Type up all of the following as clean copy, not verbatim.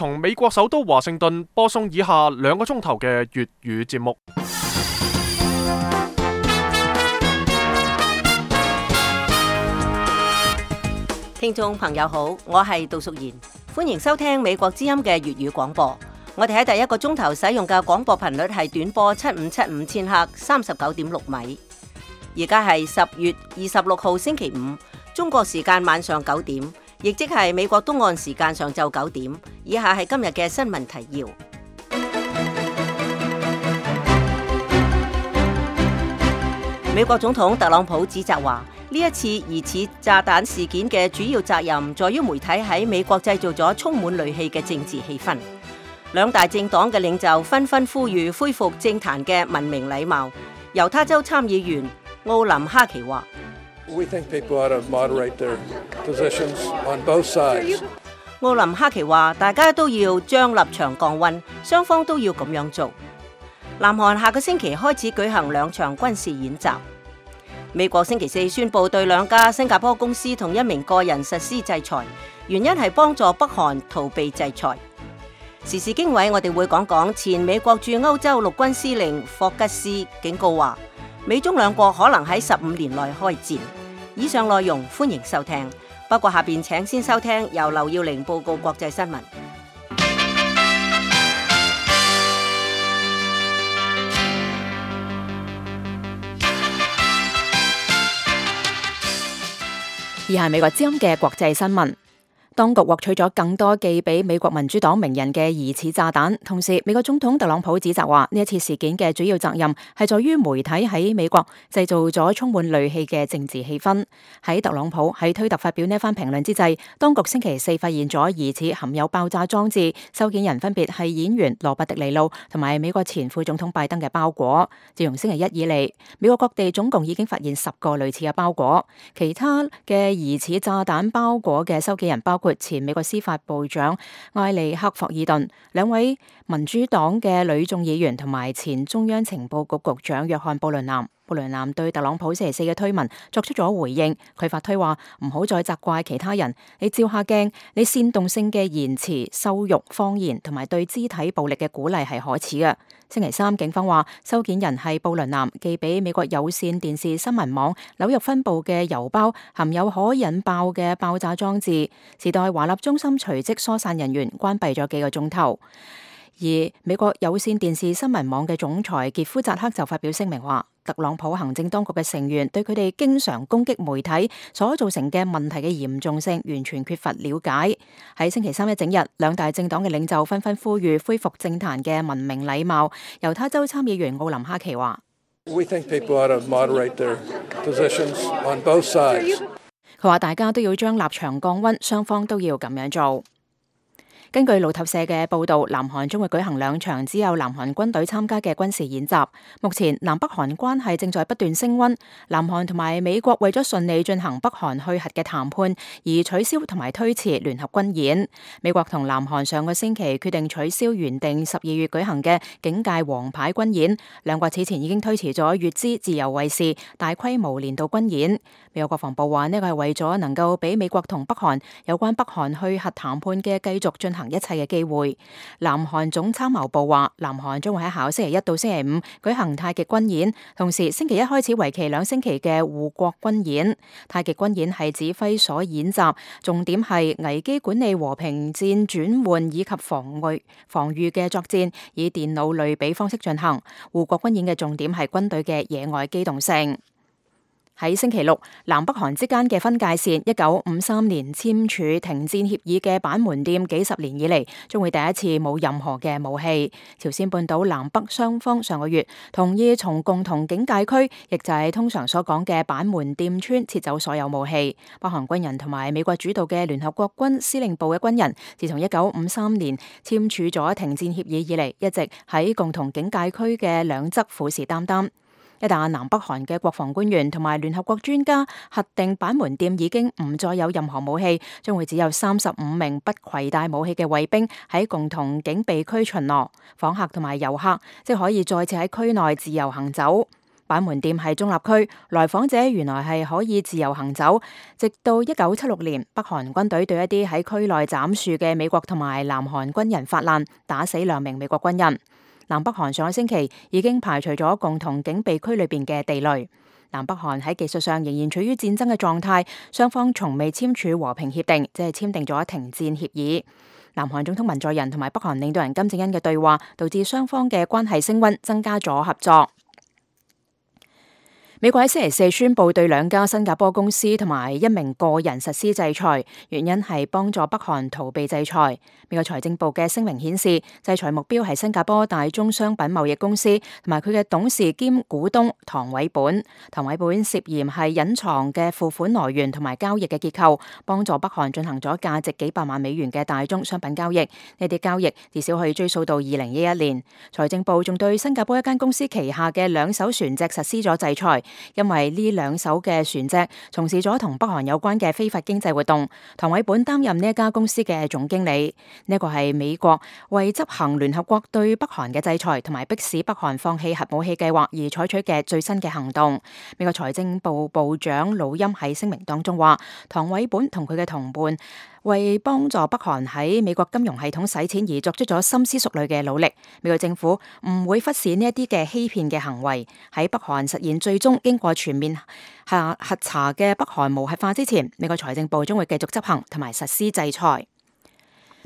從美國首都華盛頓播送以下2個鐘頭嘅粵語節目。聽眾朋友好，我係杜淑賢，歡迎收聽美國之音嘅粵語廣播。我哋喺第1個鐘頭使用嘅廣播頻率係短波7575千赫39.6米。而家係10月26號星期五，中國時間晚上9點，亦即係美國東岸時間上晝9點。以下係今日嘅新聞提要。美國總統特朗普指責話，呢一次疑似炸彈事件嘅主要責任在於媒體喺美國製造咗充滿戾氣嘅政治氣氛。2大政黨嘅領袖紛紛呼籲恢復政壇嘅文明禮貌。猶他州參議員奧林哈奇話：奧林哈奇話，大家都要將立場降溫，雙方都要咁樣做。南韓下個星期開始舉行2場軍事演習。美國星期4宣布對2家新加坡公司同1名個人實施制裁，原因係幫助北韓逃避制裁。時事經緯，我哋會講講前美國駐歐洲陸軍司令霍吉斯警告話，美中2國可能喺15年內開戰。以上內容歡迎收聽，不過下邊請先收聽由劉耀玲報告國際新聞。以下係美國之音嘅國際新聞。當局獲取咗更多寄俾美國民主黨名人嘅疑似炸彈，同時美國總統特朗普指責話，呢一次事件嘅主要責任係在於媒體喺美國製造咗充滿戾氣嘅政治氣氛。喺特朗普喺推特發表呢一番評論之際，當局星期4發現咗疑似含有爆炸裝置，收件人分別係演員羅伯迪尼路同埋美國前副總統拜登嘅包裹。自從星期1以嚟，美國各地總共已經發現10個類似嘅包裹。其他嘅疑似炸彈包裹嘅收件人包括前美國司法部長艾利克霍爾頓、2位民主黨嘅女眾議員同埋前中央情報局局長約翰布倫南。布倫南對特朗普星期4嘅推文作出咗回應，佢發推話唔好再責怪其他人，你照下鏡，你煽動性嘅言辭、羞辱、謊言同埋對肢體暴力嘅鼓勵係可恥嘅。星期3警方話收件人係布倫南寄俾美國有線電視新聞網紐約分部嘅郵包含有可引爆嘅爆炸裝置。時代華納中心隨即疏散人員，關閉咗幾個鐘頭。而美國有線電視新聞網嘅總裁傑夫扎克就發表聲明話，特朗普行政當局嘅成員對佢哋經常攻擊媒體所造成嘅問題嘅嚴重性完全缺乏了解。喺星期3一整日，2大政黨嘅領袖紛紛呼籲恢復政壇嘅文明禮貌。猶他州參議員奧林哈奇話，佢話大家都要將立場降溫，雙方都要咁樣做。根據路透社嘅報導，南韓將會舉行2場只有南韓軍隊參加嘅軍事演習。目前南北韓關係正在不斷升溫，南韓同埋美國為咗順利進行北韓去核嘅談判而取消同埋推遲聯合軍演。美國同南韓上個星期決定取消原定12月舉行嘅警戒王牌軍演，2國此前已經推遲咗乙支自由衛士大規模年度軍演。美國國防部話呢個係為咗能夠俾美國同北韓有關北韓去核談判嘅繼續進行一切嘅機會。南韓總參謀部話，南韓將會喺下個星期1到星期5舉行太極軍演，同時星期1開始為期2星期嘅護國軍演。太極軍演係指揮所演習，重點係危機管理、和平戰轉換以及防禦嘅作戰，以電腦類比方式進行。護國軍演嘅重點係軍隊嘅野外機動性。喺星期6，南北韓之間嘅分界線1953年簽署停戰協議嘅板門店幾十年以嚟，將會第一次冇任何嘅武器。朝鮮半島南北雙方上個月同意從共同警戒區，亦就係通常所講嘅板門店村撤走所有武器。北韓軍人同埋美國主導嘅聯合國軍司令部嘅軍人，自從1953年簽署咗停戰協議以嚟，一直喺共同警戒區嘅兩側虎視眈眈。一旦南北韓嘅國防官員同埋聯合國專家核定板門店已經唔再有任何武器，將會只有35名不攜帶武器嘅衛兵喺共同警備區巡邏，訪客同埋遊客即可以再次喺區內自由行走。板門店係中立區，來訪者原來係可以自由行走。直到1976年，北韓軍隊對一啲喺區內斬樹嘅美國同埋南韓軍人發難，打死2名美國軍人。南北韓上個星期已經排除咗共同警備區裏邊嘅地雷。南北韓喺技術上仍然處於戰爭嘅狀態，雙方從未簽署和平協定，即係簽訂咗停戰協議。南韓總統文在寅同埋北韓領導人金正恩嘅對話，導致雙方嘅關係升溫，增加咗合作。美國喺星期4宣布對2家新加坡公司同埋1名個人實施制裁，原因係幫助北韓逃避制裁。美國財政部嘅聲明顯示，制裁目標係新加坡大宗商品貿易公司同埋佢嘅董事兼股東唐偉本。唐偉本涉嫌係隱藏嘅付款來源同埋交易嘅結構，幫助北韓進行咗價值幾百萬美元嘅大宗商品交易。呢啲交易至少可以追溯到2011年。財政部仲對新加坡一間公司旗下嘅2艘船隻實施咗制裁。因為呢2艘嘅船隻從事咗同北韓有關嘅非法經濟活動，唐偉本擔任呢一家公司嘅總經理。呢個係美國為執行聯合國對北韓嘅制裁，同埋迫使北韓放棄核武器計劃而採取嘅最新嘅行動。美國財政部部長魯欽喺聲明當中話，唐偉本同佢嘅同伴為幫助北韓喺美國金融系統洗錢而作出咗深思熟慮嘅努力。美國政府唔會忽視呢一啲嘅欺騙嘅行為。喺北韓實現最終經過全面核查嘅北韓無核化之前，美國財政部將會繼續執行同埋實施制裁。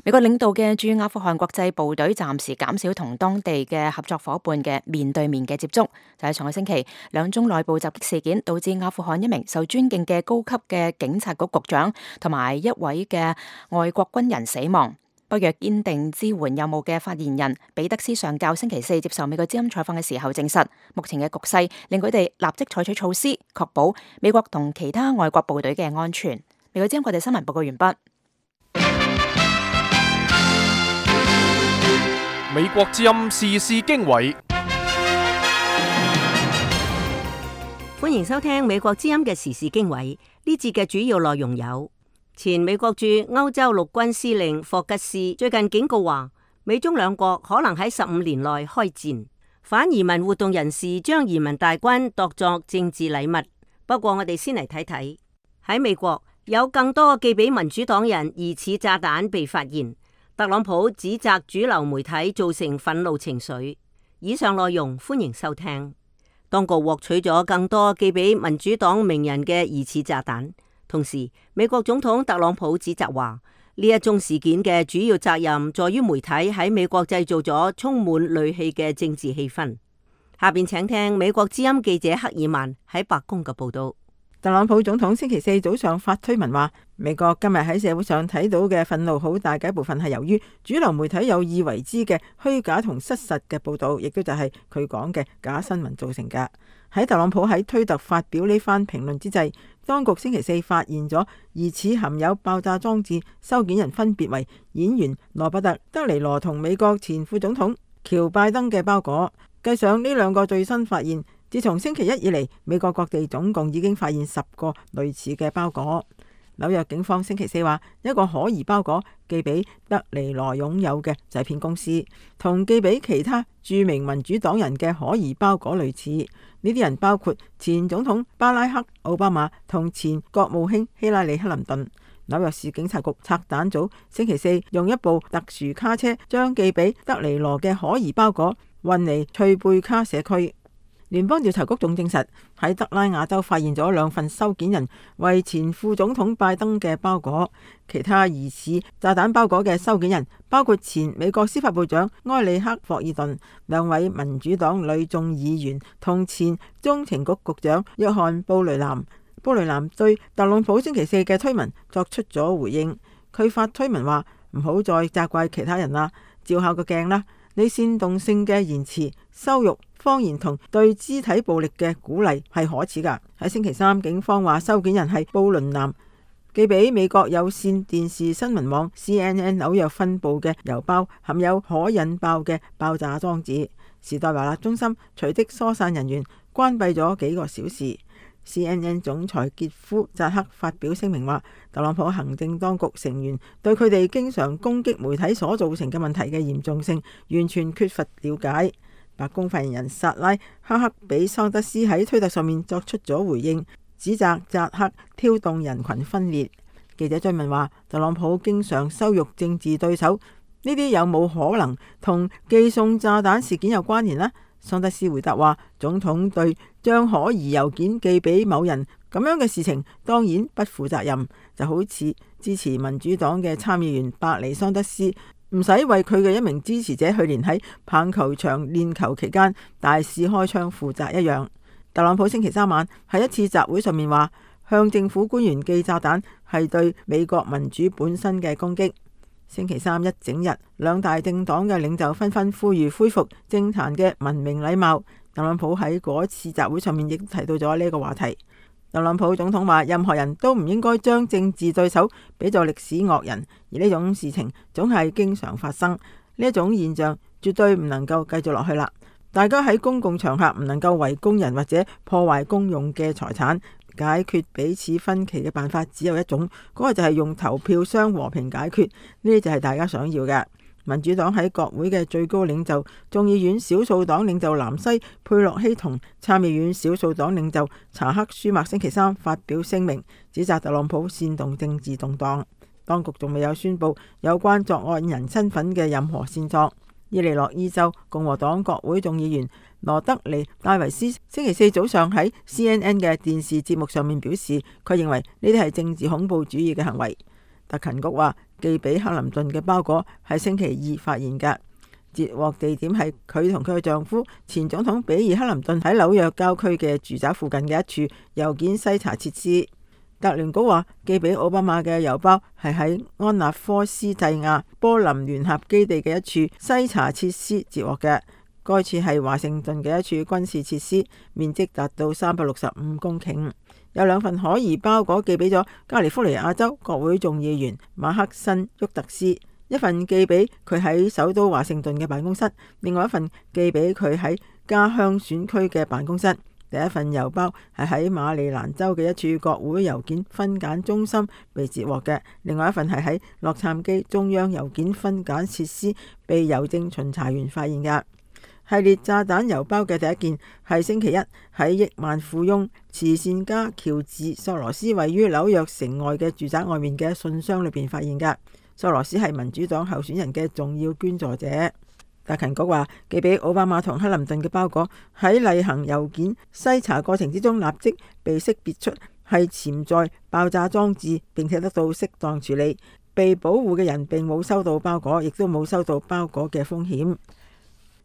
美國領導嘅駐阿富汗國際部隊暫時減少同當地嘅合作夥伴嘅面對面嘅接觸。就喺上個星期，2宗內部襲擊事件導致阿富汗1名受尊敬嘅高級嘅警察局局長同埋1位嘅外國軍人死亡。北約堅定支援任務嘅發言人彼得斯上校星期4接受美國之音採訪嘅時候證實，目前嘅局勢令佢哋立即採取措施，確保美國同其他外國部隊嘅安全。美國之音國際新聞報告完畢。美國之音時事經緯，歡迎收聽美國之音嘅時事經緯。呢節嘅主要內容有：前美國駐歐洲陸軍司令霍吉斯最近警告話，美中2國可能喺15年內開戰。反移民活動人士將移民大軍當作政治禮物。不過我哋先嚟睇睇，喺美國有更多寄俾民主黨人疑似炸彈被發現。特朗普指責主流媒體造成憤怒情緒。以上內容歡迎收聽。當局獲取咗更多寄俾民主黨名人嘅疑似炸彈，同時美國總統特朗普指責話，呢一宗事件嘅主要責任在於媒體喺美國製造咗充滿戾氣嘅政治氣氛。下邊請聽美國之音記者克爾曼喺白宮嘅報道。特朗普總統星期4早上發推文話，美國今日喺社會上睇到嘅憤怒好大嘅一部分係由於主流媒體有意為之嘅虛假同失實嘅報道，亦都就係佢講嘅假新聞造成嘅。喺特朗普喺推特發表呢番評論之際，當局星期4發現咗疑似含有爆炸裝置收件人分別為演員羅伯特·德尼羅同美國前副總統喬拜登嘅包裹。計上呢2個最新發現，自從星期1以嚟，美國各地總共已經發現10個類似嘅包裹。紐約警方星期4話，一個可疑包裹寄俾德尼羅擁有嘅製片公司，同寄俾其他著名民主黨人嘅可疑包裹類似。呢啲人包括前總統巴拉克·奧巴馬同前國務卿希拉里·克林頓。紐約市警察局拆彈組星期4用一部特殊卡車將寄俾德尼羅嘅可疑包裹運嚟翠貝卡社區。聯邦調查局仲證實喺德拉瓦州發現咗2份收件人為前副總統拜登嘅包裹。其他疑似炸彈包裹嘅收件人包括前美國司法部長埃里克·霍爾頓、2位民主黨女眾議員同前中情局局長約翰·布雷南。布雷南對特朗普星期4嘅推文作出咗回應，佢發推文話，唔好再責怪其他人啦，照下個鏡啦，你煽動性嘅言辭、羞辱、謊言同對肢體暴力嘅鼓勵係可恥噶。喺星期3，警方話收件人係布倫南，寄俾美國有線電視新聞網 CNN 紐約分部嘅郵包含有可引爆嘅爆炸裝置。時代華納中心隨即疏散人員，關閉咗幾個小時。CNN 總裁傑夫扎克發表聲明話，特朗普行政當局成員對佢哋經常攻擊媒體所造成嘅問題嘅嚴重性完全缺乏了解。白宮發言人薩拉哈克比桑德斯喺推特上面作出咗回應，指責扎克挑動人群分裂。記者追問話，特朗普經常羞辱政治對手，呢啲有冇可能同寄送炸彈事件有關聯呢？桑德斯回答話，總統對將可疑郵件寄俾某人咁樣嘅事情當然不負責任，就好似支持民主黨嘅參議員伯尼桑德斯唔使為佢嘅一名支持者去年喺棒球場練球期間大肆開槍負責一樣。特朗普星期三晚喺一次集會上面話，向政府官員寄炸彈係對美國民主本身嘅攻擊。星期三一整日，兩大政黨嘅領袖紛紛呼籲恢復政壇嘅文明禮貌。特朗普喺嗰次集會上面亦提到咗呢個話題。特朗普總統話，任何人都唔應該將政治對手比作歷史惡人，而呢種事情總係經常發生。呢一種現象絕對唔能夠繼續落去啦。大家喺公共場合唔能夠圍攻人或者破壞公用嘅財產。解決彼此分歧嘅辦法只有一種，嗰個就係用投票箱和平解決。呢啲就係大家想要嘅。民主黨喺國會嘅最高領袖、眾議院少數黨領袖南西佩洛西同參議院少數黨領袖查克舒默星期三發表聲明，指責特朗普煽動政治動盪。當局仲未有宣布有關作案人身份嘅任何線索。伊利諾伊州共和黨國會眾議員羅德尼戴維斯星期四早上喺 CNN 嘅電視節目上面表示，佢認為呢啲係政治恐怖主義嘅行為。特勤局話，寄俾克林頓嘅包裹係星期二發現嘅，截獲地點係佢同佢嘅丈夫前總統比爾克林頓喺紐約郊區嘅住宅附近嘅一處郵件篩查設施。特聯局話，寄俾奧巴馬嘅郵包係喺安納科斯蒂亞波林聯合基地嘅一處篩查設施截獲嘅。該處係華盛頓嘅一處軍事設施，面積達到365公頃。有兩份可疑包裹寄俾咗加利福尼亞州國會眾議員馬克辛沃特斯，一份寄俾佢喺首都華盛頓嘅辦公室，另外一份寄俾佢喺家鄉選區嘅辦公室。第一份郵包係喺馬里蘭州嘅一處國會郵件分揀中心被截獲嘅，另外一份係喺洛杉磯中央郵件分揀設施被郵政巡查員發現嘅。系列炸彈郵包嘅第一件係星期一喺億萬富翁慈善家喬治索羅斯位於紐約城外嘅住宅外面嘅信箱裏邊發現嘅。索羅斯係民主黨候選人嘅重要捐助者。特勤局話，寄俾奧巴馬同克林頓嘅包裹喺例行郵件篩查過程之中立即被識別出係潛在爆炸裝置，並且得到適當處理。被保護嘅人並冇收到包裹，亦都冇收到包裹嘅風險。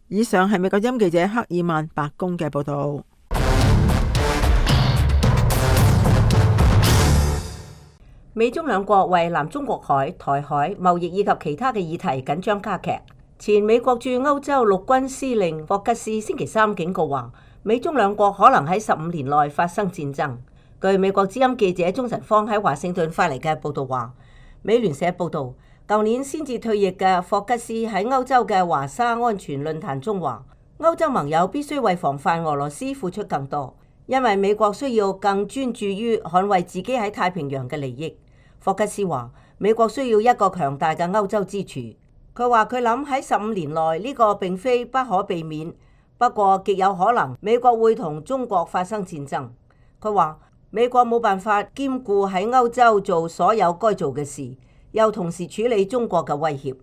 以上係美國之音記者克爾曼白宮嘅報道。美中兩國為南中國海、台海貿易以及其他嘅議題緊張加劇。前美國駐歐洲陸軍司令霍吉斯星期三警告話，美中兩國可能喺15年內發生戰爭。據美國之音記者鍾晨芳喺華盛頓發嚟嘅報道話，美聯社報道，舊年先至退役嘅霍吉斯喺歐洲嘅華沙安全論壇中話，歐洲盟友必須為防範俄羅斯付出更多，因為美國需要更專注於捍衛自己喺太平洋嘅利益。霍吉斯話，美國需要一個強大嘅歐洲支柱。佢話佢諗喺15年內呢個並非不可避免，不過極有可能美國會同中國發生戰爭。佢話美國冇辦法兼顧喺歐洲做所有該做嘅事，又同時處理中國嘅威脅。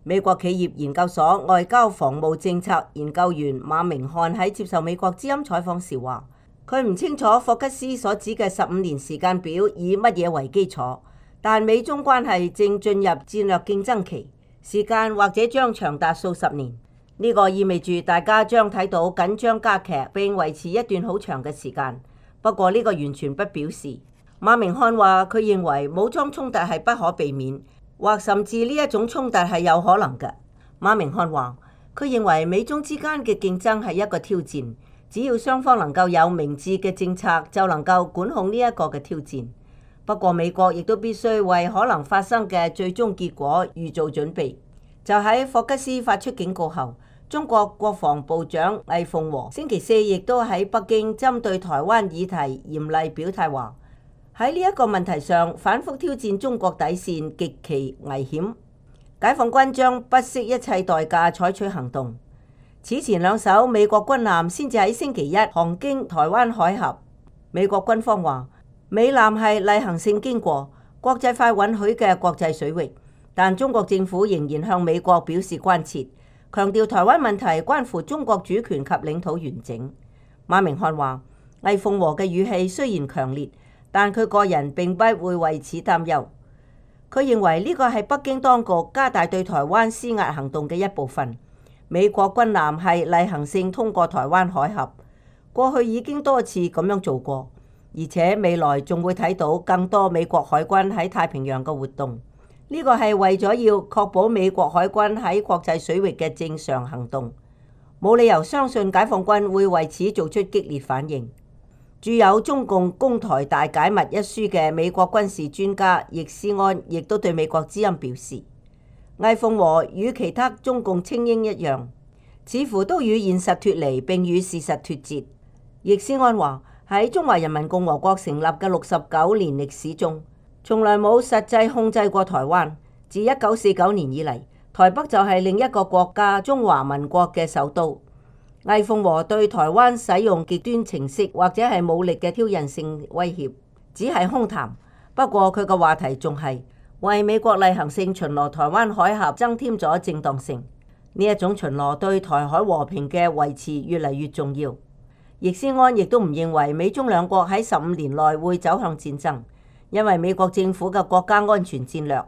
美國企業研究所外交防務政策研究員馬明漢喺接受美國之音採訪時話，佢唔清楚霍吉斯所指嘅15年時間表以乜嘢為基礎，但美中關係正進入戰略競爭期。時間或者將長達數十年，呢個意味住大家將睇到緊張加劇並維持一段好長嘅時間。不過呢個完全不表示。馬明漢話佢認為武裝衝突係不可避免，或甚至呢一種衝突係有可能嘅。馬明漢話佢認為美中之間嘅競爭係一個挑戰，只要雙方能夠有明智嘅政策，就能夠管控呢一個嘅挑戰。不過美國亦都必須為可能發生嘅最終結果預做準備。就喺霍吉斯發出警告後，中國國防部長魏鳳和星期四亦都喺北京針對台灣議題嚴厲表態，話喺呢一個問題上反覆挑戰中國底線極其危險，解放軍將不惜一切代價採取行動。此前兩艘美國軍艦先至喺星期一航經台灣海峽。美國軍方話，美艦係例行性經過國際法允許嘅國際水域，但中國政府仍然向美國表示關切，強調台灣問題關乎中國主權及領土完整。馬明漢話，魏鳳和嘅語氣雖然強烈，但佢個人並不會為此擔憂。佢認為呢個係北京當局加大對台灣施壓行動嘅一部分。美國軍艦係例行性通過台灣海峽，過去已經多次咁樣做過，而且未來仲會睇到更多美國海軍喺太平洋嘅活動。呢個係為咗要確保美國海軍喺國際水域嘅正常行動，冇理由相信解放軍會為此做出激烈反應。著有《中共攻台大解密》一書嘅美國軍事專家易思安亦都對美國之音表示，魏鳳和與其他中共精英一樣，似乎都與現實脫離並與事實脫節。易思安話，喺中華人民共和國成立嘅69年歷史中，從來冇實際控制過台灣。自1949年以嚟，台北就係另一個國家中華民國嘅首都。魏鳳和對台灣使用極端程式或者係武力嘅挑釁性威脅，只係空談。不過佢個話題仲係為美國例行性巡邏台灣海峽增添咗正當性。呢一種巡邏對台海和平嘅維持越嚟越重要。易思安亦都唔認為美中兩國喺15年內會走向戰爭，因為美國政府嘅國家安全戰略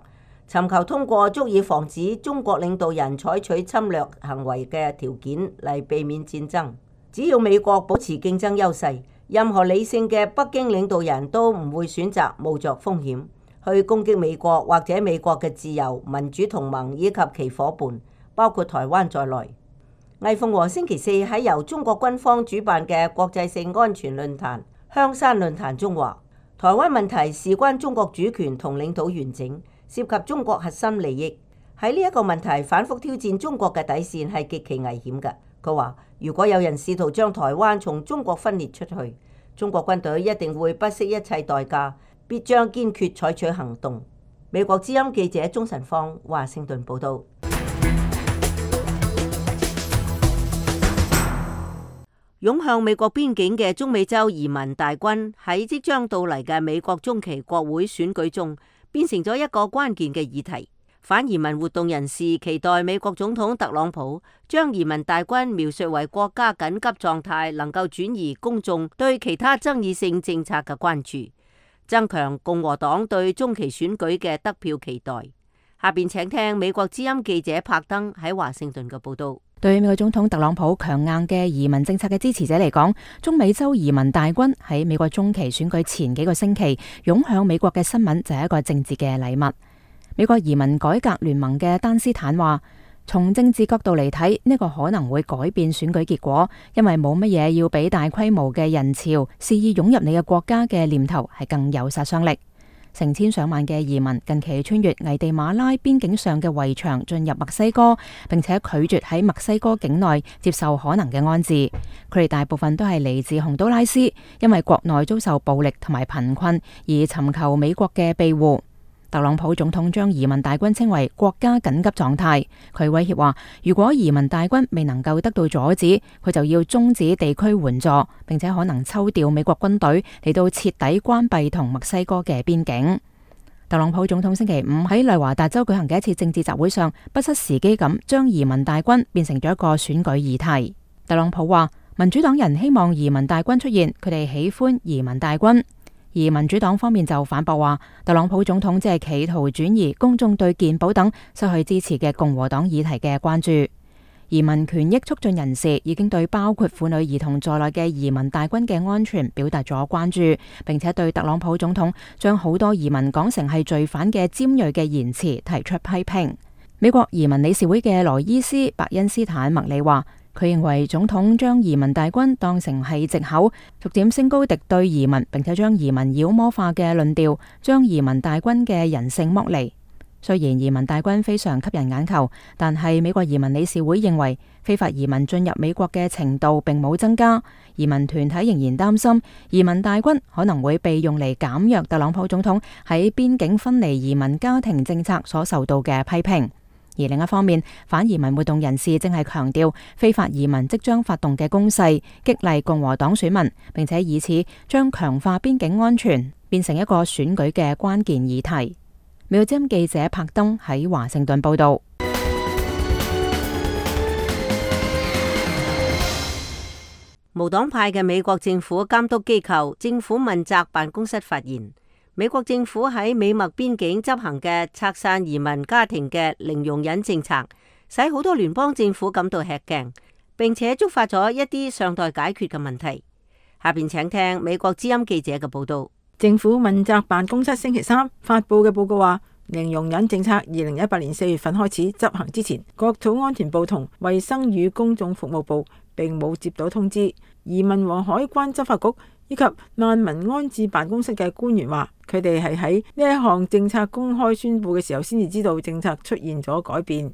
尋求通過足以防止中國領導人採取侵略行為嘅條件嚟避免戰爭。只要美國保持競爭優勢，任何理性嘅北京領導人都唔會選擇冒着風險去攻擊美國或者美國嘅自由民主同盟以及其夥伴，包括台灣在內。魏鳳和星期四喺由中國軍方主辦嘅國際性安全論壇香山論壇中話，台灣問題事關中國主權同領土完整，涉及中國核心利益。喺呢一個問題反覆挑戰中國嘅底線係極其危險嘅。佢話，如果有人試圖將台灣從中國分裂出去，中國軍隊一定會不惜一切代價，必將堅決採取行動。美國之音記者鍾晨芳華盛頓報道。湧向美國邊境嘅中美洲移民大軍喺即將到嚟嘅美國中期國會選舉中，變成咗一個關鍵嘅議題。反移民活動人士期待美國總統特朗普將移民大軍描述為國家緊急狀態，能夠轉移公眾對其他爭議性政策嘅關注，增強共和黨對中期選舉嘅得票期待。下邊請聽美國之音記者柏登喺華盛頓嘅報道。對美國總統特朗普強硬嘅移民政策嘅支持者嚟講，中美洲移民大軍喺美國中期選舉前幾個星期湧向美國嘅新聞就係一個政治嘅禮物。美國移民改革聯盟嘅丹斯坦話，從政治角度嚟睇，呢個可能會改變選舉結果，因為冇乜嘢要比大規模嘅人潮肆意湧入你嘅國家嘅念頭係更有殺傷力。成千上萬嘅移民近期穿越危地馬拉邊境上嘅圍牆進入墨西哥，並且拒絕喺墨西哥境內接受可能嘅安置。佢哋大部分都係嚟自洪都拉斯，因為國內遭受暴力同埋貧困而尋求美國嘅庇護。特朗普總統將移民大軍稱為國家緊急狀態，佢威脅話，如果移民大軍未能夠得到阻止，佢就要終止地區援助，並且可能抽調美國軍隊嚟到徹底關閉同墨西哥嘅邊境。特朗普總統星期五喺內華達州舉行嘅一次政治集會上，不失時機咁將移民大軍變成咗一個選舉議題。特朗普話，民主黨人希望移民大軍出現，佢哋喜歡移民大軍。而民主黨方面就反駁話，特朗普總統只係企圖轉移公眾對健保等失去支持嘅共和黨議題嘅關注。移民權益促進人士已經對包括婦女兒童在內嘅移民大軍嘅安全表達咗關注，並且對特朗普總統將好多移民講成係罪犯嘅尖銳嘅言辭提出批評。美國移民理事會嘅羅伊斯·白恩斯坦麥里話，佢認為總統將移民大軍當成係藉口，逐漸升高敵對移民，並且將移民妖魔化嘅論調，將移民大軍嘅人性剝離。雖然移民大軍非常吸引眼球，但係美國移民理事會認為非法移民進入美國嘅程度並冇增加。移民團體仍然擔心移民大軍可能會被用嚟減弱特朗普總統喺邊境分離移民家庭政策所受到嘅批評。而另一方面，反移民活動人士正係強調非法移民即將發動嘅攻勢，激勵共和黨選民，並且以此將強化邊境安全變成一個選舉嘅關鍵議題。美國之音記者柏登喺華盛頓報道。無黨派嘅美國政府監督機構政府問責辦公室發現，美國政府喺美墨邊境執行嘅拆散移民家庭嘅零容忍政策，使好多聯邦政府感到吃驚，並且觸發咗一啲尚待解決嘅問題。下邊請聽美國之音記者嘅報道。政府問責辦公室星期三發布嘅報告話，零容忍政策2018年4月份開始執行之前，國土安全部同衛生與公眾服務部並冇接到通知。移民和海關執法局以及難民安置辦公室嘅官員話，佢哋係喺呢一項政策公開宣布嘅時候先至知道政策出現咗改變。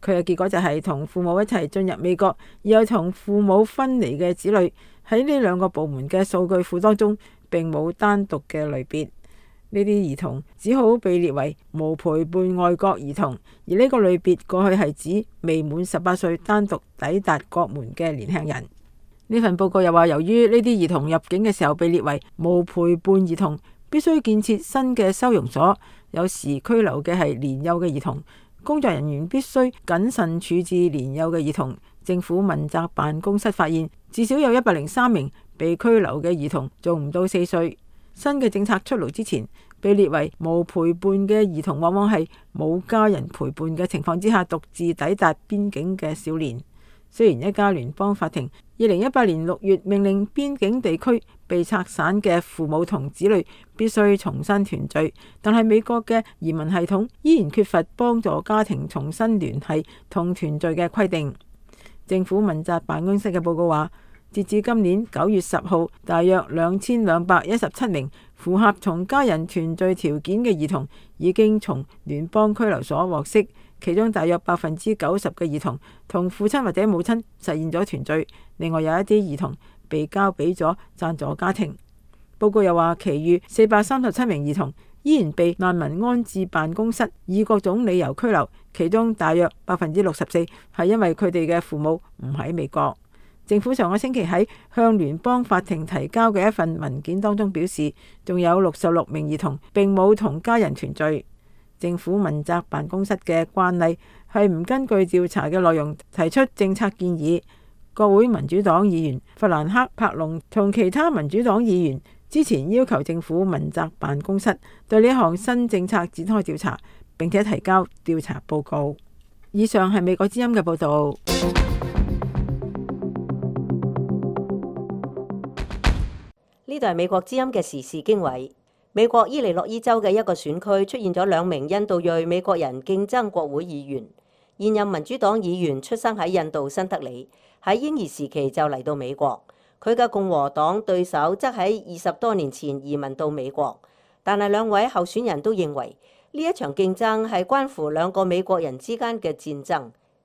佢嘅結果就係同父母一齊進入美國而又同父母分離嘅子女喺呢兩個部門嘅數據庫當中並冇單獨嘅類別。呢啲兒童只好被列為無陪伴外國兒童，而呢個類別過去係指未滿18歲單獨抵達國門嘅年輕人。呢份報告又話，由於呢啲兒童入境嘅時候被列為無陪伴兒童，必須建設新嘅收容所，有時拘留嘅係年幼嘅兒童，工作人員必須謹慎處置年幼嘅兒童。政府問責辦公室發現，至少有103名被拘留嘅兒童仲唔到4歲。新嘅政策出爐之前，被列為無陪伴嘅兒童往往係冇家人陪伴嘅情況之下獨自抵達邊境嘅少年。雖然一家聯邦法庭2018年6月命令邊境地區被拆散嘅父母同子女必須重新團聚，但係美國嘅移民系統依然缺乏幫助家庭重新聯繫同團聚嘅規定。政府問責辦公室嘅報告話，截至今年9月10號，大約2217名符合同家人團聚條件嘅兒童已經從聯邦拘留所獲釋，其中大約90%嘅兒童同父親或者母親實現咗團聚，另外有一啲兒童被交俾咗贊助家庭。報告又話，其餘437名兒童依然被難民安置辦公室以各種理由拘留，其中大約64%係因為佢哋嘅父母唔喺美國。政府上個星期喺向聯邦法庭提交嘅一份文件當中表示，仲有66名兒童並冇同家人團聚。政府問責辦公室嘅慣例係唔根據調查嘅內容提出政策建議。國會民主黨議員弗蘭克·柏龍同其他民主黨議員之前要求政府問責辦公室對呢項新政策展開調查，並且提交調查報告。以上係美國之音嘅報導。呢度係美國之音嘅時事經緯。美國伊利諾伊州嘅一個選區出現咗2名印度裔美國人競爭國會議員。現任民主黨議員出生喺印度新德里，喺嬰兒時期就嚟到美國。佢嘅共和黨對手則喺20多年前移民到美國。但係兩位候選人都認為呢一場競爭係關乎兩個美國人之間嘅戰爭，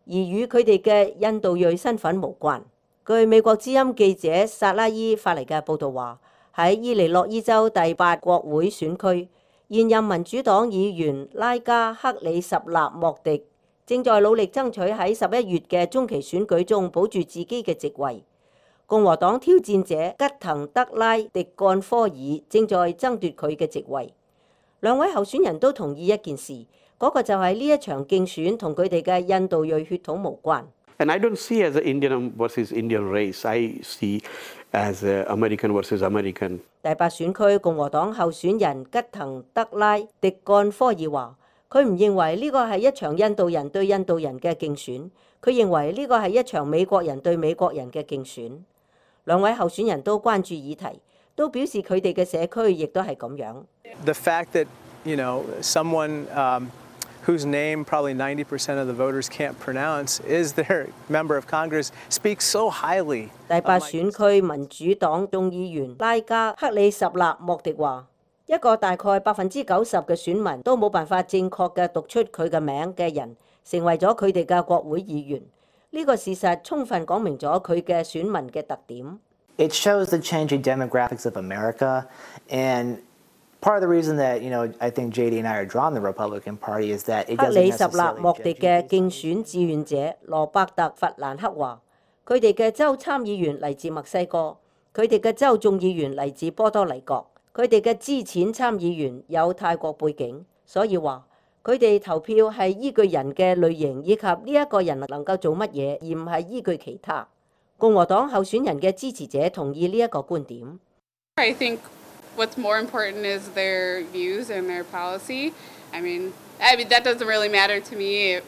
而與佢哋嘅印度裔身份無關。據美國之音記者薩拉伊發嚟嘅報導話，喺伊利諾伊州第8國會選區，現任民主黨議員拉加克里什納莫迪正在努力爭取喺11月嘅中期選舉中保住自己嘅席位。共和黨挑戰者吉滕德拉迪幹科爾正在爭奪佢嘅席位。兩位候選人都同意一件事，嗰個就係呢一場競選同佢哋嘅印度裔血統無關。And I don't see as an Indian versus Indian race. I see as American versus American. 第8選區共和黨候選人吉滕德拉迪幹科爾話，佢唔認為呢個係一場印度人對印度人嘅競選，佢認為呢個係一場美國人對美國人嘅競選。兩位候選人都關注議題，都表示佢哋嘅社區亦都係咁樣。The fact that, someone whose name probably 90% of the voters can't pronounce is their member of Congress speaks so highly. 第8選區民主黨眾議員拉加克里什納莫迪話，一個大概90%嘅選民都冇辦法正確嘅讀出佢嘅名嘅人，成為咗佢哋嘅國會議員。呢個事實充分講明咗佢嘅選民嘅特點。It shows the changing demographics of America, and Part of the reason that I think JD and I are drawn to the Republican Party is that it 克 doesn't 里什納 necessarily 莫迪 judge 嘅 you 競 based on 選志願者羅伯特·弗蘭克話：佢哋嘅州參議員嚟自墨西哥，佢哋嘅州眾議員嚟自波多黎各，佢哋嘅資淺參議員有泰國背景，所以話佢哋投票係依據人嘅類型以及呢一個人能夠做乜嘢，而唔係依據其他。共和黨候選人嘅支持者同意呢一個觀點。I think what's more important is their views and their policy. I mean that doesn't really matter to me,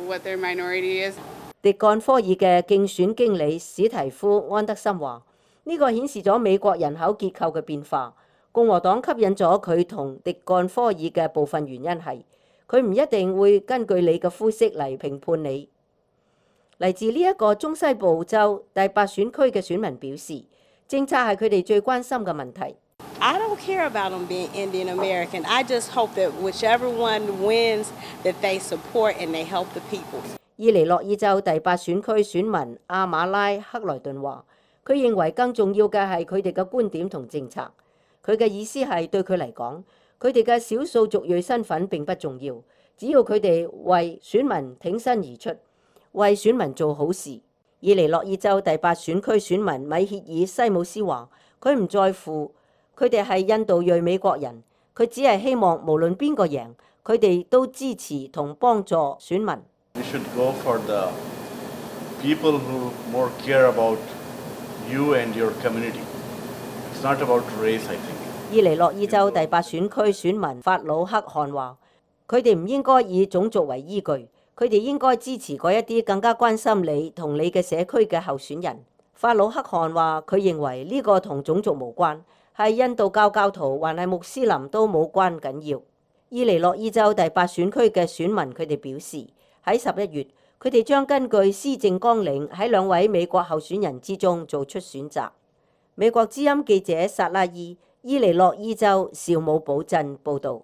what their minority is. 迪幹科爾嘅競選經理史提夫安德森話：呢個顯示咗美國人口結構嘅變化。共和黨吸引咗佢同迪幹科爾嘅部分原因係佢唔一定會根據你嘅膚色嚟評判你。嚟自呢一個中西部州第8選區嘅選民表示，政策係佢哋最關心嘅問題。I don't care about them being Indian American. I just hope that whichever one wins, that they support and they help the people. 伊利諾伊州第8選區選民阿馬拉克萊頓話：佢認為更重要嘅係佢哋嘅觀點同政策。佢嘅意思係對佢嚟講，佢哋嘅少數族裔身份並不重要，只要佢哋為選民挺身而出，為選民做好事。伊利諾伊州第8選區選民米歇爾西姆斯話：佢唔在乎佢哋係印度裔美國人，佢只係希望無論邊個贏，佢哋都支持同幫助選民。We should go for the people who more care about you and your community. It's not about race, I think. 伊利諾伊州第8選區選民法魯克汗話：佢哋唔應該以種族為依據，佢哋應該支持嗰一啲更加關心你同你嘅社區嘅候選人。法魯克汗話：佢認為呢個同種族無關，係印度教教徒還係穆斯林都冇關緊要。伊利諾伊州第8選區嘅選民佢哋表示，喺11月，佢哋將根據施政綱領喺2位美國候選人之中做出選擇。美國之音記者薩拉伊，伊利諾伊州紹姆堡鎮報導。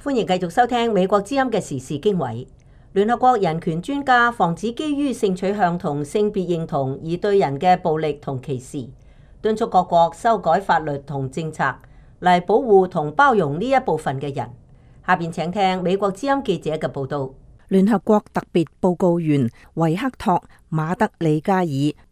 歡迎繼續收聽美國之音嘅時事經緯。聯合國人權專家防止基於性取向同性別認同而對人嘅暴力同歧視，敦促各國修改法律同政策嚟保護同包容呢一部分嘅人。下邊請聽美國之音記者嘅報導。聯合國特別報告員維克托·馬德里加爾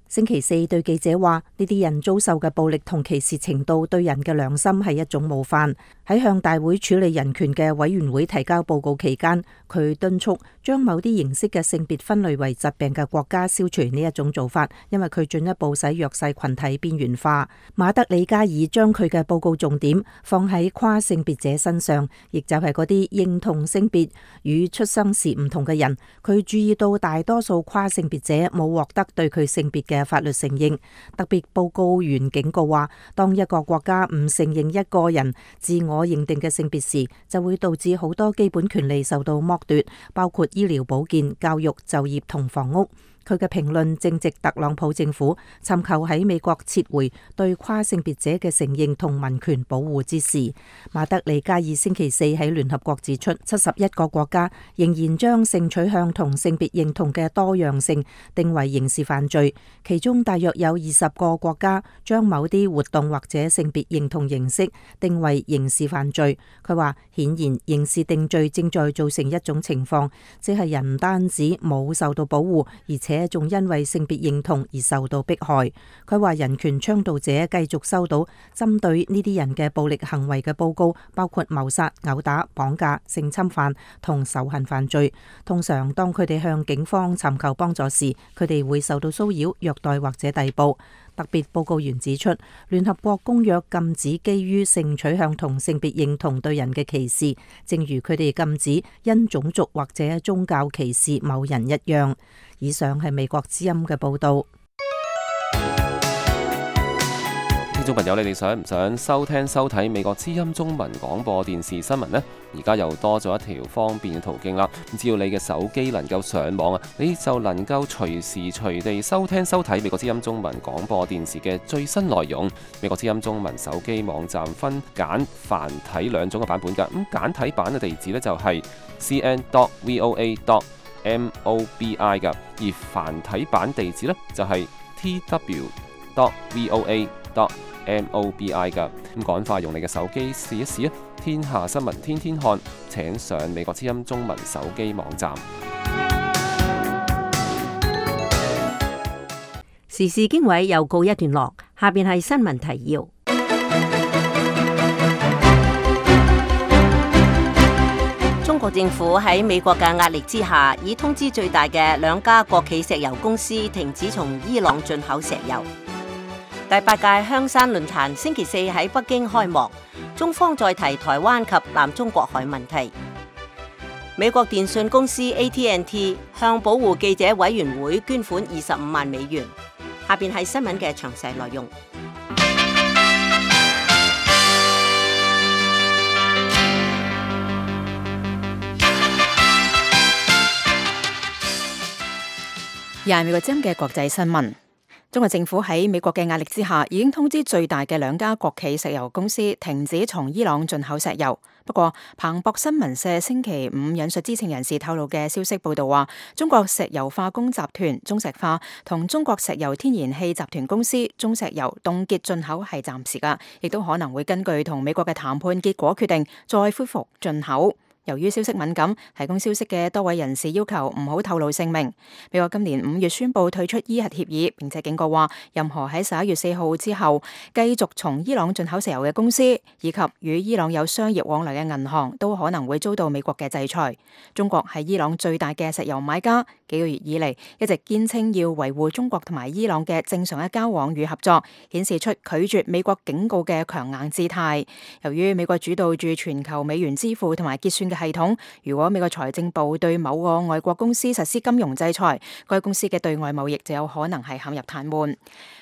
星期四對記者話：呢啲人遭受嘅暴力同歧視程度對人嘅良心係一種冒犯。喺向大會處理人權嘅委員會提交報告期間，佢敦促將某啲形式嘅性別分類為疾病嘅國家消除呢一種做法，因為佢進一步使弱勢群體邊緣化。馬德里加爾將佢嘅報告重點放喺跨性別者身上，亦就係嗰啲認同性別與出生時唔同嘅人。佢注意到大多數跨性別者冇獲得對佢性別嘅法律承認。特別報告員警告話，當一個國家唔承認一個人自我認定嘅性別時，就會導致好多基本權利受到剝奪，包括醫療保健、教育、就業同房屋。佢嘅評論正值特朗普政府尋求喺美國撤回對跨性別者嘅承認同民權保護之時。馬德里加爾星期四喺聯合國指出，71個國家仍然將性取向同性別認同嘅多樣性定為刑事犯罪，其中大約有20個國家將某啲活動或者性別認同形式定為刑事犯罪。佢話，顯然刑事定罪正在造成一種情況，即係人唔單止冇受到保護，而且仲因為性別認同而受到迫害。佢話人權倡導者繼續收到針對呢啲人嘅暴力行為嘅報告，包括謀殺、毆打、綁架、性侵犯同仇恨犯罪。通常當佢哋向警方尋求幫助時，佢哋會受到騷擾、虐待或者逮捕。特別報告員指出，聯合國公約禁止基於性取向同性別認同對人嘅歧視，正如佢哋禁止因種族或者宗教歧視某人一樣。以上係美國之音嘅報導。聽眾朋友，你哋想唔想收聽收睇美國之音中文廣播電視新聞呢？而家又多咗一條方便嘅途徑啦！只要你嘅手機能夠上網啊，你就能夠隨時隨地收聽收睇美國之音中文廣播電視嘅最新內容。美國之音中文手機網站分簡繁體兩種嘅版本㗎。咁簡體版嘅地址呢，就係 cn.voa.mobi 㗎，而繁體版地址呢，就係 voa.mobi 噶。咁趕快用你嘅手機試一試啊！天下新聞天天看，請上美國之音中文手機網站。時事經緯又告一段落，下邊係新聞提要。中國政府喺美國嘅壓力之下，已通知最大嘅兩家國企石油公司停止從伊朗進口石油。第8屆香山論壇星期4喺北京開幕，中方再提台灣及南中國海問題。美國電信公司 AT&T 向保護記者委員會捐款25萬美元。下邊係新聞嘅詳細內容。又係美國之音嘅國際新聞。中國政府喺美國嘅壓力之下，已經通知最大嘅兩家國企石油公司停止從伊朗進口石油。不過，彭博新聞社星期5引述知情人士透露嘅消息報道話，中國石油化工集團中石化同中國石油天然氣集團公司中石油凍結進口係暫時㗎，亦都可能會根據同美國嘅談判結果決定再恢復進口。由於消息敏感，提供消息嘅多位人士要求唔好透露姓名。美國今年5月宣布退出伊核協議，並且警告話，任何喺11月4號之後繼續從伊朗進口石油嘅公司，以及與伊朗有商業往來嘅銀行，都可能會遭到美國嘅制裁。中國係伊朗最大嘅石油買家，幾個月以嚟一直堅稱要維護中國同埋伊朗嘅正常嘅交往與合作，顯示出拒絕美國警告嘅強硬姿態。由於美國主導住全球美元支付同埋結算嘅系統，如果美國財政部對某個外國公司實施金融制裁，該公司嘅對外貿易就有可能係陷入癱瘓。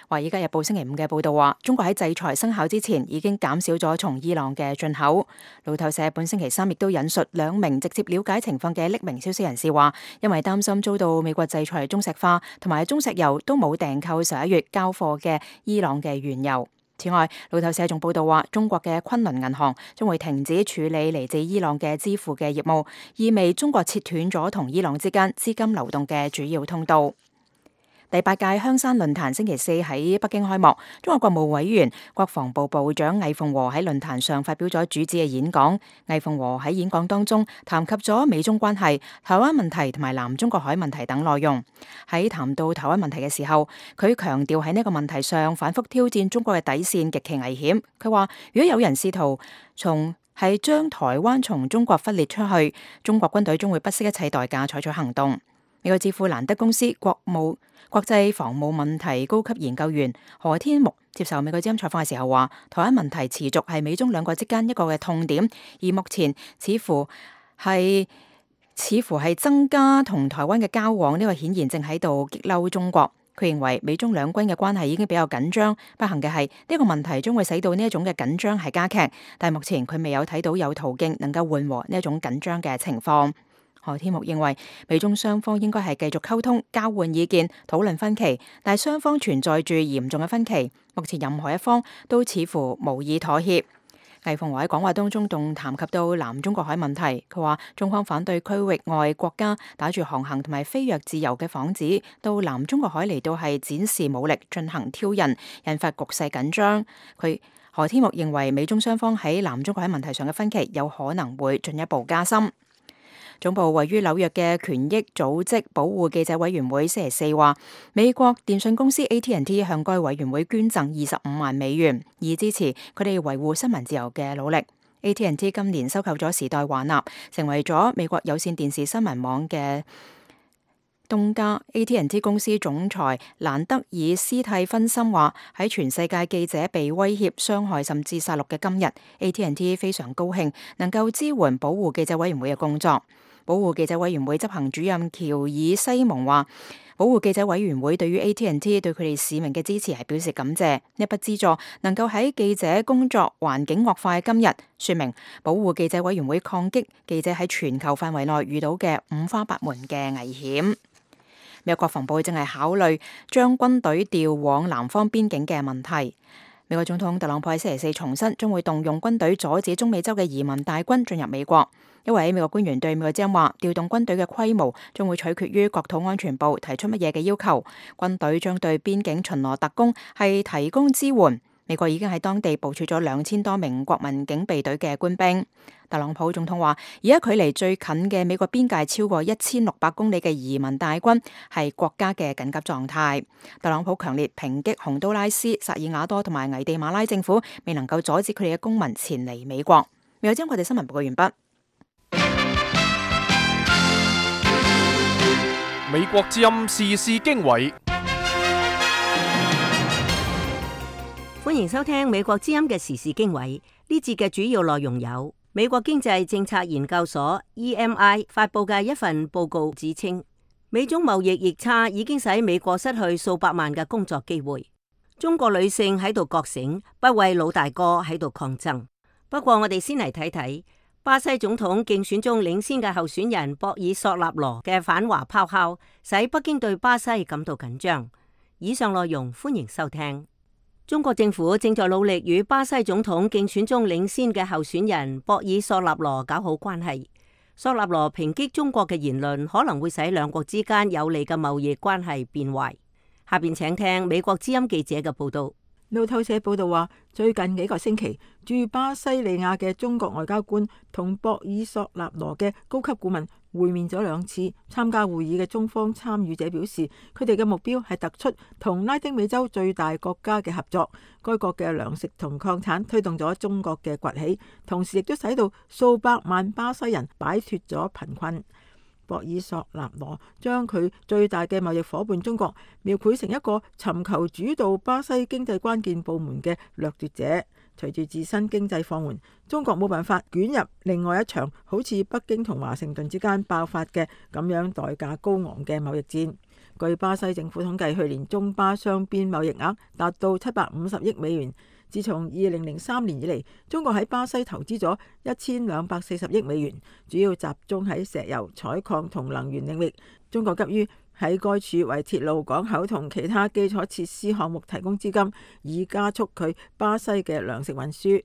華爾街日報星期5嘅報道話，中國喺制裁生效之前已經減少咗從伊朗嘅進口。路透社本星期3亦都引述2名直接了解情況嘅匿名消息人士話，因為擔心遭到美國制裁，中石化同埋中石油都冇訂購11月交貨嘅伊朗嘅原油。此外，路透社仲報道話，中國嘅昆侖銀行將會停止處理嚟自伊朗嘅支付嘅業務，意味中國切斷咗同伊朗之間資金流動嘅主要通道。第8屆香山論壇星期4喺北京開幕，中國國務委員、國防部部長魏鳳和喺論壇上發表咗主旨嘅演講。魏鳳和喺演講當中談及咗美中關係、台灣問題同埋南中國海問題等內容。喺談到台灣問題嘅時候，佢強調喺呢個問題上反覆挑戰中國嘅底線極其危險。佢話如果有人試圖係將台灣從中國分裂出去，中國軍隊將會不惜一切代價採取行動。美國智庫蘭德公司國際防務問題高級研究員何天木接受美國之音採訪嘅時候話，台灣問題持續係美中兩國之間一個嘅痛點，而目前似乎係增加同台灣嘅交往，呢個顯然正喺度激嬲中國。佢認為美中兩軍嘅關係已經比較緊張，不幸嘅係呢個問題將會使到呢一種嘅緊張係加劇，但係目前佢未有睇到有途徑能夠緩和呢一種緊張嘅情況。何天木認為美中雙方應該係繼續溝通、交換意見、討論分歧，但係雙方存在住嚴重嘅分歧，目前任何一方都似乎無意妥協。魏鳳和喺講話當中仲談及到南中國海問題，佢話中方反對區域外國家打住航行同埋飛躍自由嘅幌子到南中國海嚟到係展示武力進行挑釁，引發局勢緊張。何天木認為美中雙方喺南中國海問題上嘅分歧有可能會進一步加深。總部位於紐約嘅權益組織保護記者委員會星期4話，美國電信公司 AT&T 向該委員會捐贈25萬美元，以支持佢哋維護新聞自由嘅努力。AT&T 今年收購咗時代華納，成為咗美國有線電視新聞網嘅東家。AT&T 公司總裁蘭德爾斯蒂芬森話，喺全世界記者被威脅、傷害甚至殺戮嘅今日， AT&T 非常高興能夠支援保護記者委員會嘅工作。保護記者委員會執行主任喬爾西蒙話，保護記者委員會對於 AT&T 對佢哋使命嘅支持係表示感謝。呢筆資助能夠喺記者工作環境惡化嘅今日，說明保護記者委員會抗擊記者喺全球範圍內遇到嘅五花八門嘅危險。美國國防部正係考慮將軍隊調往南方邊境嘅問題。美國總統特朗普喺星期四重申，將會動用軍隊阻止中美洲嘅移民大軍進入美國。一位美國官員對美國之音話，調動軍隊嘅規模將會取決於國土安全部提出乜嘢嘅要求。軍隊將對邊境巡邏特工係提供支援。美國已經喺當地部署咗2000多名國民警備隊嘅官兵。特朗普總統話，而家距離最近嘅美國邊界超過1600公里嘅移民大軍係國家嘅緊急狀態。特朗普強烈抨擊洪都拉斯、薩爾瓦多同埋危地馬拉政府未能夠阻止佢哋嘅公民前嚟美國。未有將我哋新聞報告完畢。美國之音時事經緯。歡迎收聽美國之音嘅時事經緯。呢節嘅主要內容有美國經濟政策研究所 EMI 發佈嘅一份報告指稱，美中貿易逆差已經使美國失去數百萬嘅工作機會。中國女性喺度覺醒，不為老大哥喺度抗爭。不過我哋先嚟睇睇巴西總統競選中領先嘅候選人博爾索納羅嘅反華咆哮，使北京對巴西感到緊張。以上內容歡迎收聽。中國政府正在努力與巴西總統競選中領先嘅候選人博爾索納羅搞好關係。索納羅抨擊中國嘅言論可能會使兩國之間有利嘅貿易關係變壞。下邊請聽美國之音記者嘅報道。路透社報道話，最近幾個星期，駐巴西利亞嘅中國外交官同博爾索納羅嘅高級顧問會面咗2次。參加會議嘅中方參與者表示，佢哋嘅目標係突出同拉丁美洲最大國家嘅合作。該國嘅糧食同礦產推動咗中國嘅崛起，同時亦都使到數百萬巴西人擺脫咗貧困。博爾索納羅將佢最大嘅貿易夥伴中國描繪成一個尋求主導巴西經濟關鍵部門嘅掠奪者。隨住自身經濟放緩，中國冇辦法捲入另外一場好似北京同華盛頓之間爆發嘅咁樣代價高昂嘅貿易戰。據巴西政府統計，去年中巴雙邊貿易額達到750億美元。自從2003年以嚟，中國喺巴西投資咗1240億美元，主要集中喺石油、採礦同能源領域。中國急於喺該處為鐵路、港口同其他基礎設施項目提供資金，以加速佢巴西嘅糧食運輸。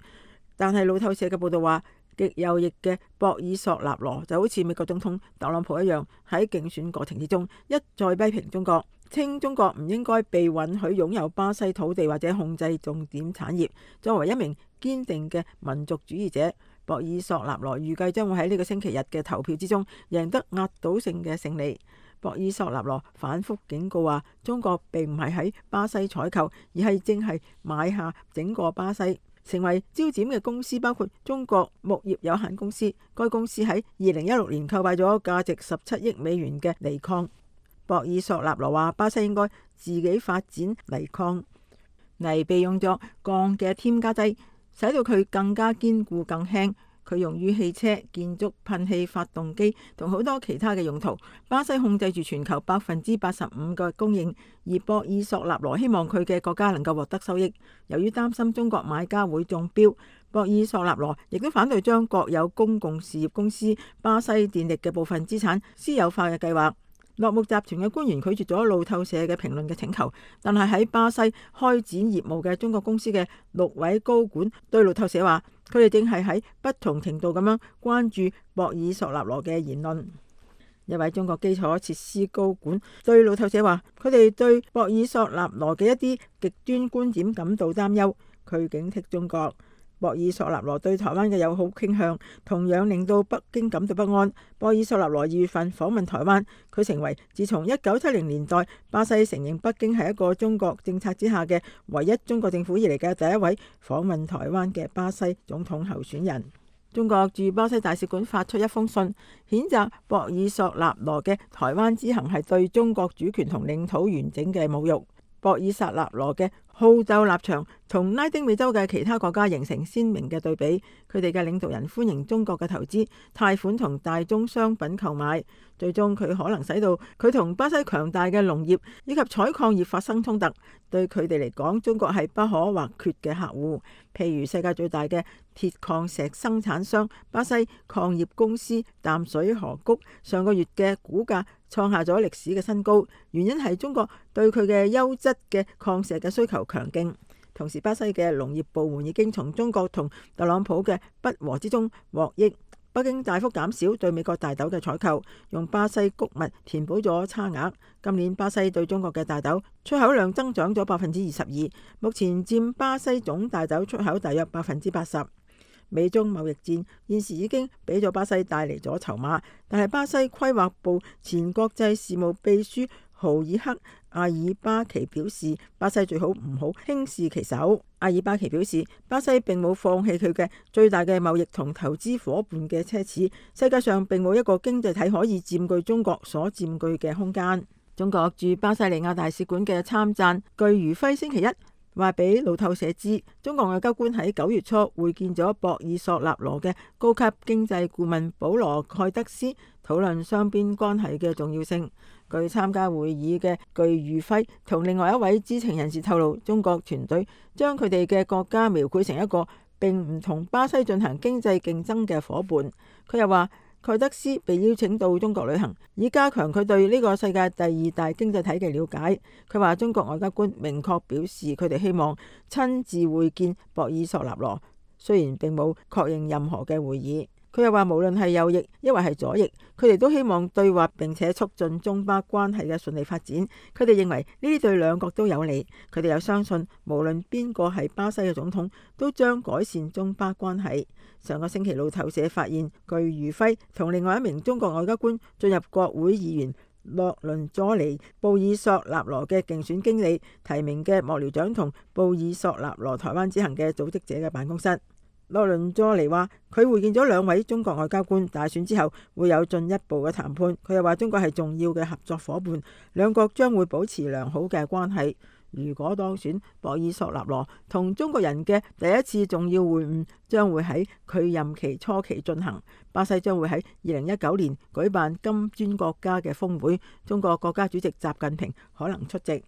但係路透社嘅報道話，極右翼嘅博爾索納羅就好似美國總統特朗普一樣，喺競選過程之中一再批評中國，稱中國唔應該被允許擁有巴西土地或者控制重點產業。作為一名堅定嘅民族主義者，博爾索納羅預計將會喺呢個星期日嘅投票之中贏得壓倒性嘅勝利。博爾索納羅反覆警告話，中國並唔係喺巴西採購，而係正係買下整個巴西。成為焦點嘅公司包括中國牧業有限公司，該公司喺2016年購買咗價值17億美元嘅鋰礦。博爾索納羅話，巴西應該自己發展鋰礦，鋰被用作鋼嘅添加劑，使到佢更加堅固更輕。佢用於汽車、建築、噴氣發動機同好多其他嘅用途。巴西控制住全球85%嘅供應，而博爾索納羅希望佢嘅國家能夠獲得收益。由於擔心中國買家會中標，博爾索納羅亦都反對將國有公共事業公司巴西電力嘅部分資產私有化嘅計劃。洛木集團嘅官員拒絕咗路透社嘅評論嘅請求，但係喺巴西開展業務嘅中國公司嘅6位高管對路透社話，佢哋正係喺不同程度咁樣關注博爾索納羅嘅言論。一位中國基礎設施高管對路透社話，佢哋對博爾索納羅嘅一啲極端觀點感到擔憂，佢警惕中國。博爾索納羅對台灣嘅友好傾向同樣令到北京感到不安。博爾索納羅2月份訪問台灣，佢成為自從1970年代巴西承認北京係一個中國政策之下嘅唯一中國政府以嚟嘅第一位訪問台灣嘅巴西總統候選人。中國駐巴西大使館發出一封信，譴責博爾索納羅嘅台灣之行係對中國主權同領土完整嘅侮辱。博爾索納羅嘅好鬥立場同拉丁美洲嘅其他國家形成鮮明嘅對比，佢哋嘅領導人歡迎中國嘅投資、貸款同大宗商品購買，最終佢可能使到佢同巴西強大嘅農業以及採礦業發生衝突。對佢哋嚟講，中國係不可或缺嘅客戶。譬如世界最大嘅鐵礦石生產商巴西礦業公司淡水河谷上個月嘅股價創下咗歷史嘅新高，原因係中國對佢嘅優質嘅礦石嘅需求強勁。同時，巴西嘅農業部門已經從中國同特朗普嘅不和之中獲益。北京大幅減少對美國大豆嘅採購，用巴西穀物填補咗差額。今年巴西對中國嘅大豆出口量增長咗22%，目前佔巴西總大豆出口大約80%。美中貿易戰現時已經俾咗巴西帶嚟咗籌碼，但係巴西規劃部前國際事務秘書豪爾克阿爾巴奇表示，巴西最好唔好輕視其手。阿爾巴奇表示，巴西並冇放棄佢嘅最大嘅貿易同投資夥伴嘅奢侈，世界上並冇一個經濟體可以佔據中國所佔據嘅空間。中國駐巴西利亞大使館嘅參贊具如輝星期一話俾路透社知，中國外交官喺9月初會見咗博爾索納羅嘅高級經濟顧問保羅蓋德斯，討論雙邊關係嘅重要性。據參加會議嘅具如輝同另外一位知情人士透露，中國團隊將佢哋嘅國家描繪成一個並唔同巴西進行經濟競爭嘅伙伴。佢又話，蓋德斯被邀請到中國旅行，以加強佢對呢個世界第2大經濟體嘅了解。佢話中國外交官明確表示，佢哋希望親自會見博爾索納羅，雖然並冇確認任何嘅會議。佢又話，無論係右翼抑或係左翼，佢哋都希望對話並且促進中巴關係嘅順利發展。佢哋認為呢啲對兩國都有利。佢哋又相信，無論邊個係巴西嘅總統，都將改善中巴關係。上個星期路透社發現，具如輝同另外一名中國外交官進入國會議員洛倫佐尼布爾索納羅嘅競選經理提名嘅幕僚長同布爾索納羅台灣之行嘅組織者嘅辦公室。洛倫佐尼話佢會見咗2位中國外交官，大選之後會有進一步嘅談判。佢又話中國係重要嘅合作伙伴，兩國將會保持良好嘅關係。如果當選，博爾索納羅同中國人嘅第一次重要會晤將會喺佢任期初期進行。巴西將會喺2019年舉辦金磚國家嘅峰會，中國國家主席習近平可能出席。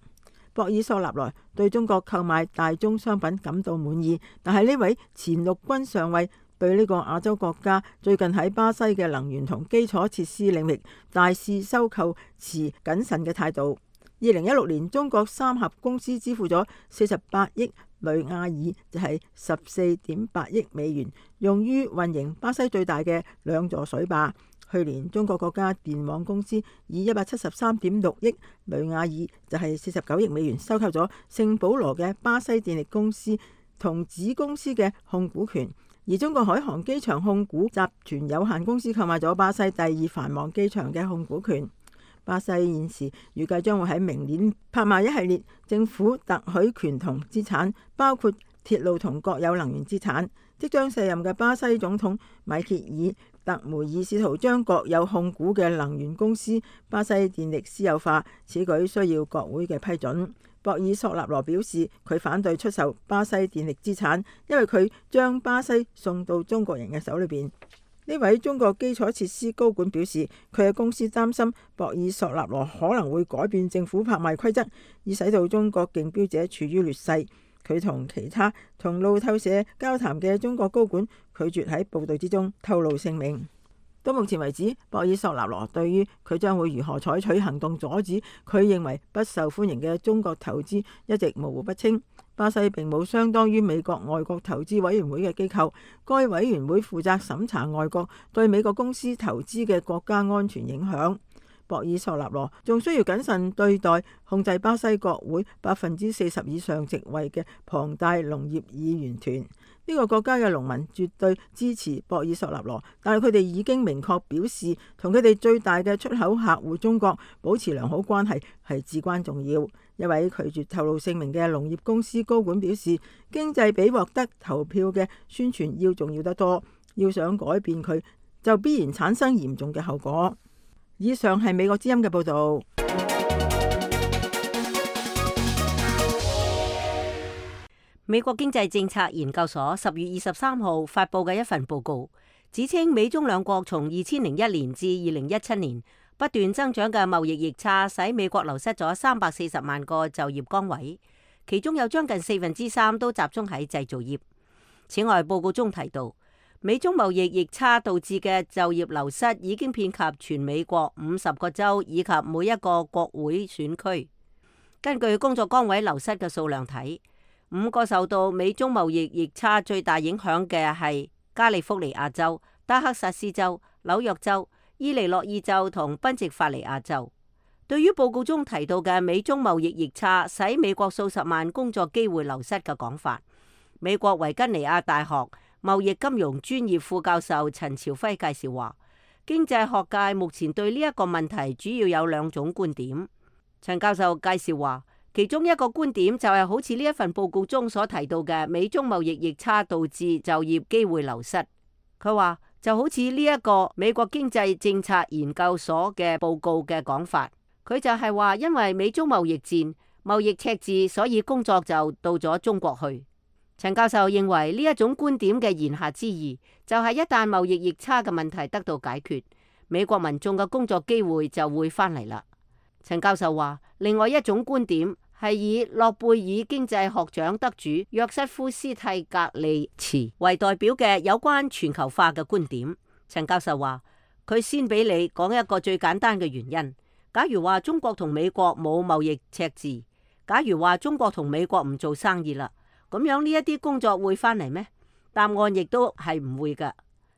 博爾索納羅對中國購買大宗商品感到滿意，但係呢位前陸軍上尉對呢個亞洲國家最近喺巴西嘅能源同基礎設施領域大肆收購持謹慎嘅態度。2016年，中國三峽公司支付咗48億雷亞爾，就係14.8億美元，用於運營巴西最大嘅2座水壩。去年，中國國家電網公司以173.6億雷亞爾，就係49億美元，收購咗聖保羅嘅巴西電力公司同子公司嘅控股權。而中國海航機場控股集團有限公司購買咗巴西第2繁忙機場嘅控股權。巴西現時預計將會喺明年拍賣一系列政府特許權同資產，包括鐵路同國有能源資產。即將卸任嘅巴西總統米歇爾特梅爾試圖將國有控股嘅能源公司巴西電力私有化，此舉需要國會嘅批准。博爾索納羅表示，佢反對出售巴西電力資產，因為佢將巴西送到中國人嘅手裏邊。呢位中國基礎設施高管表示，佢嘅公司擔心博爾索納羅可能會改變政府拍賣規則，以使到中國競標者處於劣勢。佢同其他同路透社交談嘅中國高管拒絕喺報道之中透露姓名。到目前為止，博爾索納羅對於佢將會如何採取行動阻止佢認為不受歡迎嘅中國投資一直模糊不清。巴西並冇相當於美國外國投資委員會嘅機構，該委員會負責審查外國對美國公司投資嘅國家安全影響。博爾索納羅仲需要謹慎對待控制巴西國會40%以上席位嘅龐大農業議員團。呢個國家嘅農民絕對支持博爾索納羅，但係佢哋已經明確表示，同佢哋最大嘅出口客戶中國保持良好關係係至關重要。一位拒絕透露姓名嘅農業公司高管表示，經濟比獲得投票嘅宣傳要重要得多，要想改變佢，就必然產生嚴重嘅後果。以上係美國之音嘅報導。美國經濟政策研究所10月23號發布嘅一份報告，指稱美中兩國從2001年至2017年不斷增長嘅貿易逆差，使美國流失咗340萬個就業崗位，其中有將近3/4都集中喺製造業。此外，報告中提到，美中貿易逆差導致嘅就業流失已經遍及全美國50個州以及每一個國會選區。根據工作崗位流失嘅數量睇， 5個受到美中貿易逆差最大影響嘅係加利福尼亞州、德克薩斯州、紐約州、伊利諾伊州同賓夕法尼亞州。對於報告中提到嘅美中貿易逆差使美國數十萬工作機會流失嘅講法，美國維吉尼亞大學貿易金融專業副教授陳朝輝介紹話，經濟學界目前對呢一個問題主要有2種觀點。陳教授介紹話，其中一個觀點就係好似呢一份報告中所提到嘅美中貿易逆差導致就業機會流失。佢話就好似呢一個美國經濟政策研究所嘅報告嘅講法，佢就係話因為美中貿易戰、貿易赤字，所以工作就到咗中國去。陳教授認為呢一種觀點嘅言下之意，就係一旦貿易逆差嘅問題得到解決，美國民眾嘅工作機會就會翻嚟啦。陳教授話，另外一種觀點係以諾貝爾經濟學獎得主約瑟夫斯蒂格利茨為代表嘅有關全球化嘅觀點。陳教授話，佢先俾你講一個最簡單嘅原因。假如話中國同美國冇貿易赤字，假如話中國同美國唔做生意啦，咁樣呢一啲工作會翻嚟咩？答案亦都係唔會噶。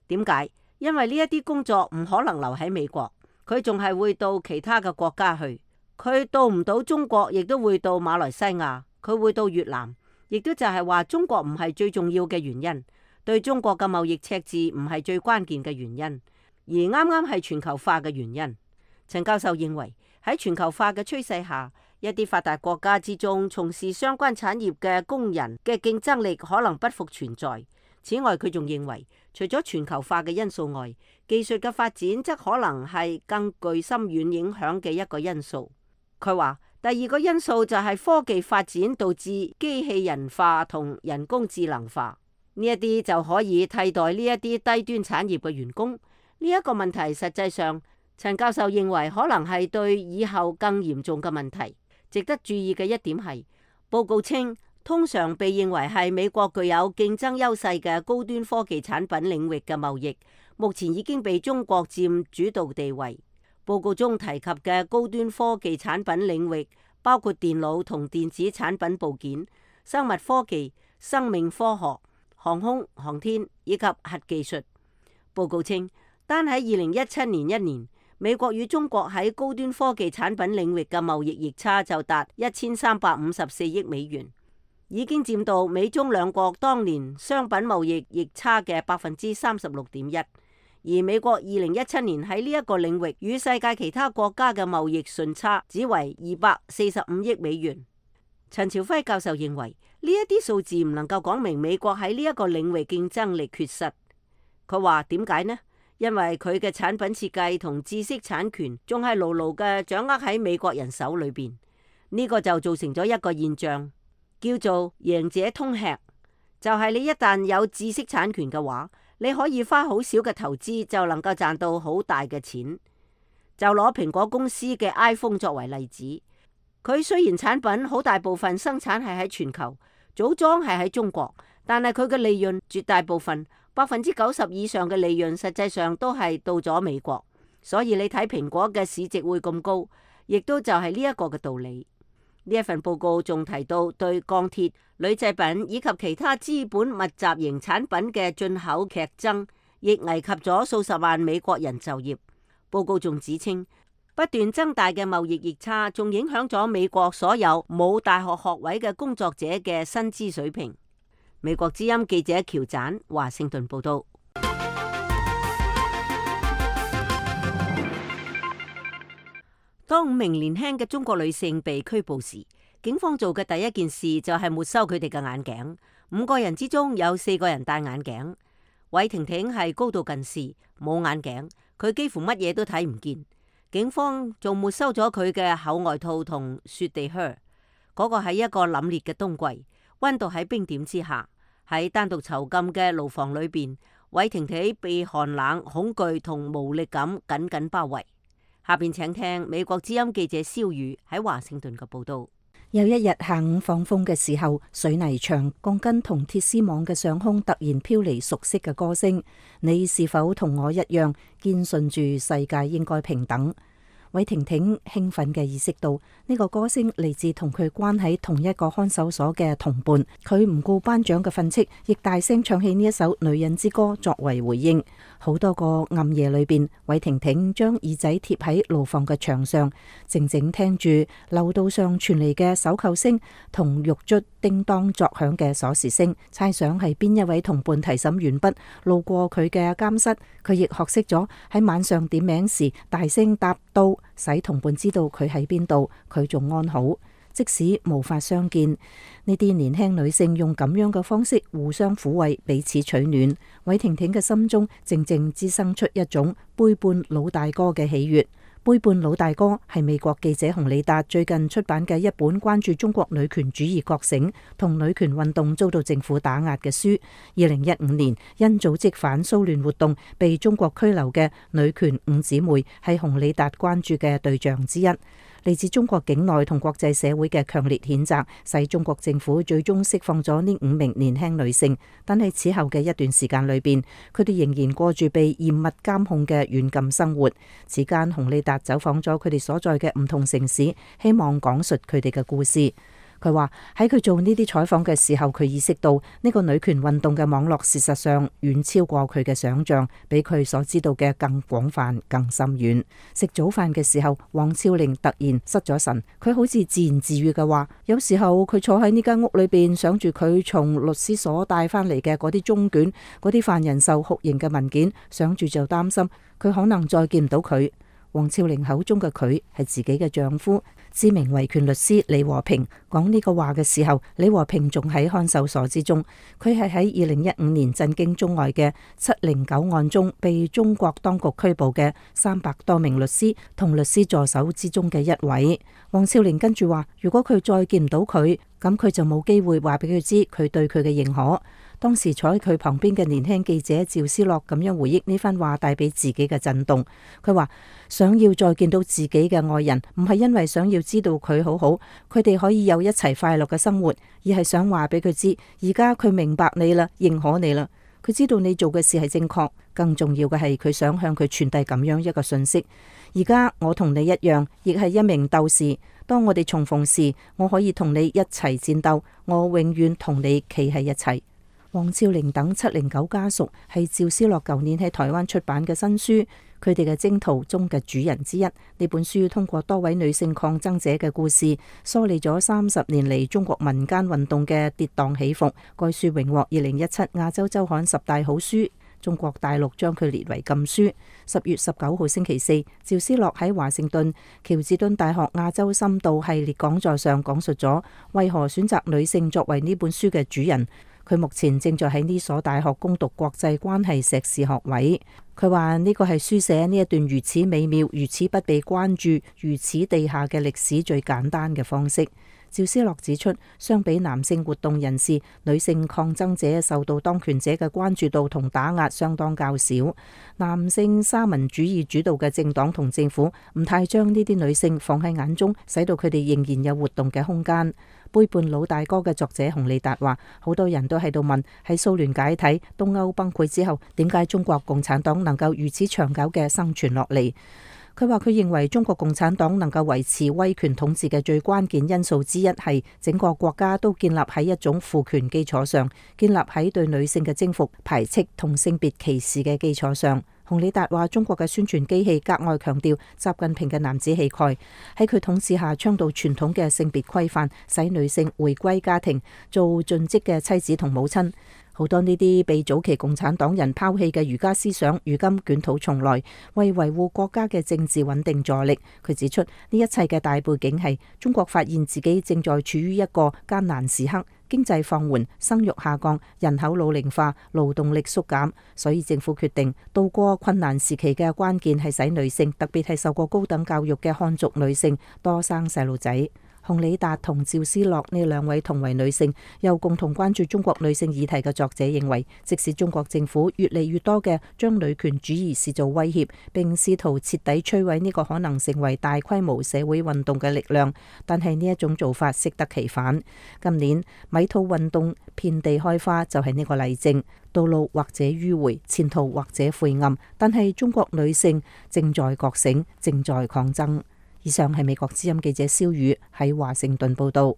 點解？因為呢一啲工作唔可能留喺美國，佢仲係會到其他嘅國家去。佢到唔到中國，亦都會到馬來西亞，佢會到越南，亦都就係話中國唔係最重要嘅原因，對中國嘅貿易赤字唔係最關鍵嘅原因，而啱啱係全球化嘅原因。陳教授認為喺全球化嘅趨勢下，一啲發達國家之中從事相關產業嘅工人嘅競爭力可能不復存在。此外，佢仲認為除咗全球化嘅因素外，技術嘅發展則可能係更具深遠影響嘅一個因素。佢話第2個因素就係科技發展導致機器人化同人工智能化，呢一啲就可以替代呢一啲低端產業嘅員工。呢一個問題實際上，陳教授認為可能係對以後更嚴重嘅問題。值得注意嘅一點係，報告稱通常被認為係美國具有競爭優勢嘅高端科技產品領域嘅貿易，目前已經被中國佔主導地位。報告中提及嘅高端科技產品領域包括電腦同電子產品部件、生物科技、生命科學、航空航天以及核技術。報告稱，單喺2017年1年，美國與中國喺高端科技產品領域嘅貿易逆差就達1354億美元，已經佔到美中兩國當年商品貿易逆差嘅36.1%。而美國2017年喺呢一個領域與世界其他國家嘅貿易順差只為245億美元。陳朝輝教授認為呢一啲數字唔能夠講明美國喺呢一個領域競爭力缺失。佢話點解呢？因為佢嘅產品設計同知識產權仲係牢牢嘅掌握喺美國人手裏邊。呢個就造成咗一個現象，叫做贏者通吃，就係你一旦有知識產權嘅話，你可以花好少嘅投資就能夠賺到好大嘅錢。就攞蘋果公司嘅 iPhone 作為例子，佢雖然產品好大部分生產係喺全球，組裝係喺中國，但係佢嘅利潤絕大部分90%以上嘅利潤實際上都係到咗美國。所以你睇蘋果嘅市值會咁高，亦都就係呢一個嘅道理。呢一份報告仲提到對鋼鐵、鋁製品以及其他資本密集型產品嘅進口劇增，亦危及咗數十萬美國人就業。報告仲指稱，不斷增大嘅貿易逆差仲影響咗美國所有冇大學學位嘅工作者嘅薪資水平。美國之音記者喬盞華盛頓報道。當5名年輕嘅中國女性被拘捕時，警方做嘅第一件事就係沒收佢哋嘅眼鏡。5個人之中有4個人戴眼鏡。韋婷婷係高度近視，冇眼鏡，佢幾乎乜嘢都睇唔見。警方仲沒收咗佢嘅厚外套同雪地靴。嗰個係一個凜冽嘅冬季，溫度喺冰點之下。喺單獨囚禁嘅牢房裏邊，韋婷婷被寒冷、恐懼同無力感緊緊包圍。下邊請聽美國之音記者蕭宇喺華盛頓嘅報道。有一日下午放風嘅時候，水泥牆、鋼筋同鐵絲網嘅上空突然飄嚟熟悉嘅歌聲。你是否同我一樣堅信住世界應該平等？韋婷婷興奮嘅意識到呢個歌聲嚟自同佢關喺同一個看守所嘅同伴，佢唔顧班長嘅訓斥，亦大聲唱起呢一首女人之歌作為回應。好多個暗夜裏邊，韋婷婷將耳仔貼喺牢房嘅牆上，靜靜聽住樓道上傳嚟嘅手扣聲同獄卒叮當作響嘅鎖匙聲，猜想係邊一位同伴提審完畢路過佢嘅監室，佢亦學識咗喺晚上點名時大聲答到，使同伴知道佢喺邊度，佢仲安好。即使無法相見，呢啲年輕女性用咁樣嘅方式互相撫慰，彼此取暖。韋婷婷嘅心中靜靜滋生出一種背叛老大哥嘅喜悅。背叛老大哥係美國記者洪里達最近出版嘅一本關注中國女權主義覺醒同女權運動遭到政府打壓嘅書。2015年因組織反蘇聯活動被中國拘留嘅女權五姊妹係洪里達關注嘅對象之一。嚟自中國境內同國際社會嘅強烈譴責，使中國政府最終釋放咗呢5名年輕女性。但係此後嘅一段時間裏邊，佢哋仍然過住被嚴密監控嘅軟禁生活。此間，洪里達走訪咗佢哋所在嘅唔同城市，希望講述佢哋嘅故事。佢話喺佢做呢啲採訪嘅時候，佢意識到呢個女權運動嘅網絡事實上遠超過佢嘅想象，比佢所知道嘅更廣泛、更深遠。食早飯嘅時候，王超玲突然失咗神，佢好似自言自語嘅話，有時候佢坐喺呢間屋裏邊，想住佢從律師所帶翻嚟嘅嗰啲中卷、嗰啲犯人受酷刑嘅文件，想住就擔心佢可能再見唔到佢。王超玲口中嘅佢係自己嘅丈夫，知名維權律師李和平。講呢個話嘅時候，李和平仲喺看守所之中。佢係喺2015年震驚中外嘅709案中被中國當局拘捕嘅300多名律師同律師助手之中嘅一位。王超玲跟住話，如果佢再見唔到佢，咁佢就冇機會話俾佢知佢對佢嘅認可。當時坐喺佢旁邊嘅年輕記者趙思樂咁樣回憶呢番話帶俾自己嘅震動。佢話想要再見到自己嘅愛人，唔係因為想要知道佢好好，佢哋可以有一齊快樂嘅生活，而係想話俾佢知，而家佢明白你啦，認可你啦，佢知道你做嘅事係正確。更重要嘅係佢想向佢傳遞咁樣一個信息：而家我同你一樣，亦係一名鬥士。當我哋重逢時，我可以同你一齊戰鬥，我永遠同你企喺一齊。王超玲等709家屬係趙思樂舊年喺台灣出版嘅新書，佢哋嘅征途中嘅主人之一。呢本書通過多位女性抗爭者嘅故事，梳理咗30年嚟中國民間運動嘅跌宕起伏。該書榮獲2017亞洲週刊10大好書，中國大陸將佢列為禁書。10月19號星期四，趙思樂喺華盛頓喬治敦大學亞洲深度系列講座上講述咗為何選擇女性作為呢本書嘅主人。佢目前正在喺呢所大學攻讀國際關係碩士學位。佢話呢個係書寫呢一段如此美妙、如此不被關注、如此地下嘅歷史最簡單嘅方式。趙思樂指出，相比男性活動人士，女性抗爭者受到當權者嘅關注度同打壓相當較少。男性沙文主義主導嘅政黨同政府唔太將呢啲女性放喺眼中，使到佢哋仍然有活動嘅空間。背叛老大哥嘅作者洪里達話，好多人都喺度問，喺蘇聯解體、東歐崩潰之後，點解中國共產黨能夠如此長久嘅生存落嚟？佢話佢認為中國共產黨能夠維持威權統治嘅最關鍵因素之一係整個國家都建立喺一種父權基礎上，建立喺對女性嘅征服、排斥同性別歧視嘅基礎上。洪里達話，中國嘅宣傳機器格外強調習近平嘅男子氣概，喺佢統治下倡導傳統嘅性別規範，使女性回歸家庭，做盡職嘅妻子同母親。好多呢啲被早期共產黨人拋棄嘅儒家思想，如今捲土重來，為維護國家嘅政治穩定助力。佢指出，呢一切嘅大背景係中國發現自己正在處於一個艱難時刻，經濟放緩、生育下降、人口老齡化、勞動力縮減，所以政府決定渡過困難時期嘅關鍵係使女性，特別係受過高等教育嘅漢族女性多生細路仔。洪里達同趙思樂呢兩位同為女性又共同關注中國女性議題嘅作者認為，即使中國政府越嚟越多嘅將女權主義視作威脅，並試圖徹底摧毀呢個可能成為大規模社會運動嘅力量，但係呢一種做法適得其反。今年米兔運動遍地開花就係呢個例證，道路或者迂迴，前途或者晦暗，但係中國女性正在覺醒，正在抗爭。以上係美國之音記者蕭宇喺華盛頓報道。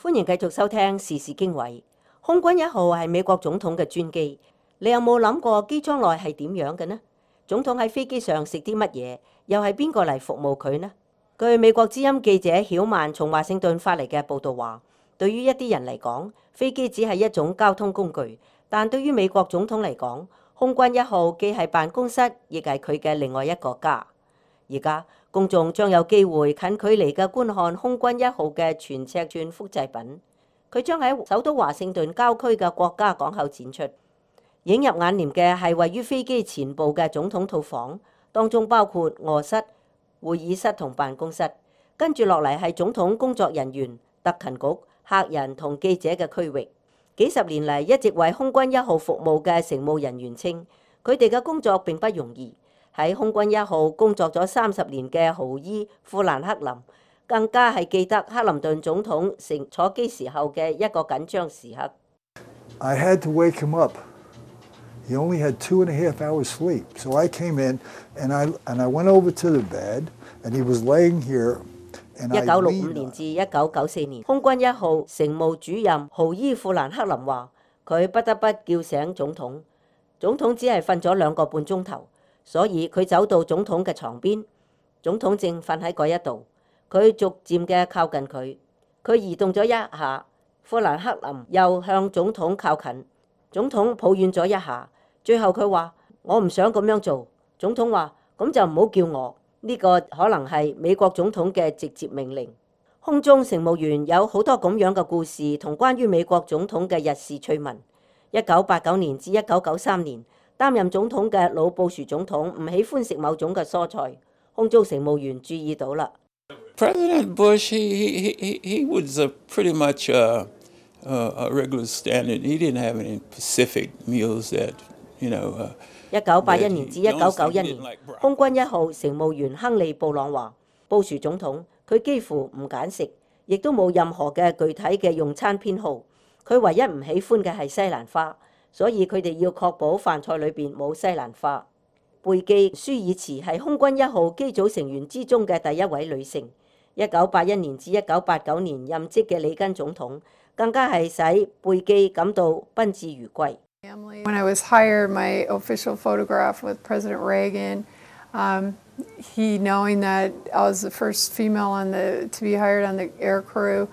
歡迎繼續收聽時事經緯。空軍1號係美國總統嘅專機，你有冇諗過機艙內係點樣嘅呢？總統喺飛機上食啲乜嘢？又係邊個嚟服務佢呢？據美國之音記者曉曼從華盛頓發嚟嘅報道話，對於一啲人嚟講，飛機只係一種交通工具，但對於美國總統嚟講，空軍1號既係辦公室，亦係佢嘅另外一個家。而家公眾將有機會近距離嘅觀看空軍1號嘅全尺寸複製品，佢將喺首都華盛頓郊區嘅國家港口展出。映入眼簾嘅係位於飛機前部嘅總統套房，當中包括臥室、會議室同辦公室。跟住落嚟係總統工作人員、特勤局、客人同記者嘅區域。幾十年嚟一直為空軍1號服務嘅乘務人員稱，佢哋嘅工作並不容易。喺空軍1號工作咗30年嘅豪伊富蘭克林，更加係記得克林頓總統乘坐機時候嘅一個緊張時刻。I had to wake him up. He only had 2.5 hours sleep, so I came in and I went over to the bed, and he was laying here. 1965年至1994年，空軍1號乘務主任豪伊富蘭克林話：佢不得不叫醒總統，總統只係瞓咗2個半鐘頭，所以佢走到總統嘅床邊，總統正瞓喺嗰一度，佢逐漸嘅靠近佢，佢移動咗一下，富蘭克林又向總統靠近，總統抱怨咗一下，最後佢話：我唔想咁樣做。總統話：咁就唔好叫我。呢個可能係美國總統嘅直接命令。空中乘務員有好多咁樣嘅故事同關於美國總統嘅日事趣聞。1989年至1993年，擔任總統嘅老布殊總統唔喜歡食某種嘅蔬菜，空中乘務員注意到啦。President Bush, he was pretty much a regular standard. He didn't have any Pacific meals that, you know. 1981年至1991年，空軍1號乘務員亨利布朗話：布殊總統佢幾乎唔揀食，亦都冇任何嘅具體嘅用餐偏好。佢唯一唔喜歡嘅係西蘭花，所以佢哋要確保飯菜裏邊冇西蘭花。貝基舒爾茨係空軍1號機組成員之中嘅第一位女性。1981年至1989年任職嘅里根總統，更加係使貝基感到賓至如歸。When I was hired, my official photograph with President Reagan, he knowing that I was the first female to be hired on the air crew,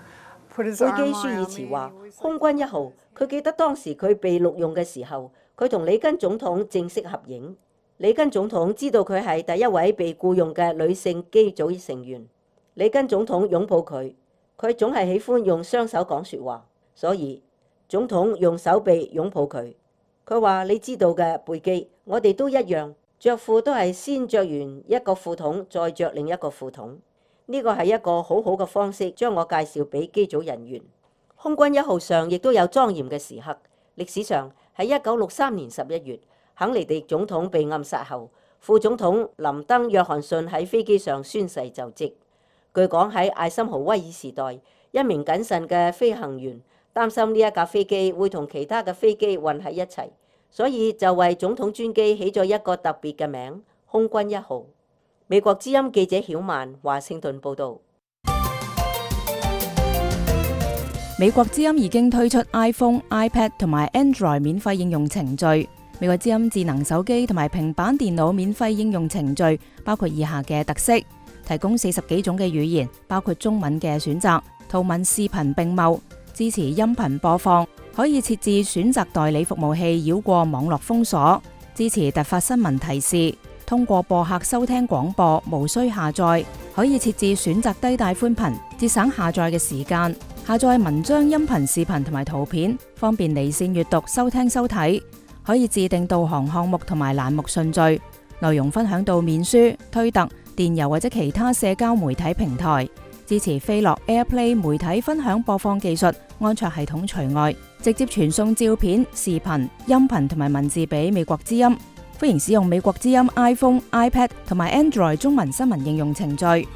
put his arm around me. 貝基舒爾茨話：空軍1號，佢記得當時佢被錄用嘅時候，佢同里根總統正式合影。里根總統知道佢係第一位被僱用嘅女性機組成員。里根總統擁抱佢，佢總係喜歡用雙手講説話，所以總統用手臂擁抱佢。佢話：你知道嘅，貝基，我哋都一樣，着褲都係先着完一個褲筒，再着另一個褲筒。呢個係一個好好嘅方式，將我介紹俾機組人員。空軍1號上亦都有莊嚴嘅時刻。歷史上喺1963年11月，肯尼迪總統被暗殺後，副總統林登約翰遜喺飛機上宣誓就職。據講喺艾森豪威爾時代，一名謹慎嘅飛行員擔心呢一架飛機會同其他嘅飛機混喺一齊，所以就為總統專機起咗一個特別嘅名——空軍1號。美國之音記者曉曼華盛頓報導。美國之音已經推出 iPhone、iPad 同埋 Android 免費應用程序。美國之音智能手機同埋平板電腦免費應用程序包括以下嘅特色：提供40幾種嘅語言，包括中文嘅選擇，圖文視頻並茂。支持音頻播放，可以設置選擇代理服務器繞過網絡封鎖，支持突發新聞提示，通過播客收聽廣播，無需下載，可以設置選擇低帶寬頻，節省下載嘅時間，下載文章、音頻、視頻同埋圖片，方便離線閱讀、收聽、收睇，可以自定導航項目同埋欄目順序，內容分享到面書、推特、電郵或者其他社交媒體平台。支持飛樂 AirPlay 媒體分享播放技術，安卓系統除外，直接傳送照片、視頻、音頻同埋文字俾美國之音。歡迎使用美國之音 iPhone、iPad 同埋 Android 中文新聞應用程序。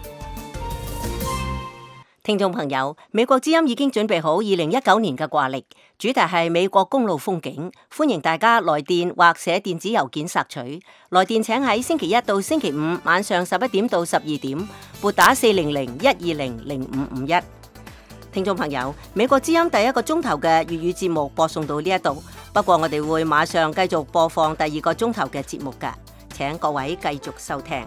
聽眾朋友，美國之音已經準備好2019年嘅掛曆，主題係美國公路風景，歡迎大家來電或寫電子郵件索取。來電請喺星期一到星期五晚上11點到12點，撥打400-120-0551。聽眾朋友，美國之音第一個鐘頭嘅粵語節目播送到呢一度，不過我哋會馬上繼續播放第二個鐘頭嘅節目㗎，請各位繼續收聽。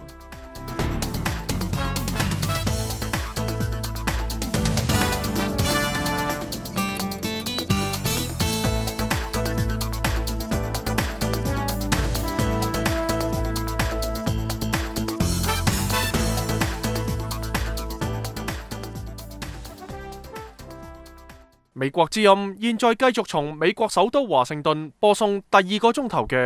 美國之音現在繼續從美國首都華盛頓播送第二個鐘頭嘅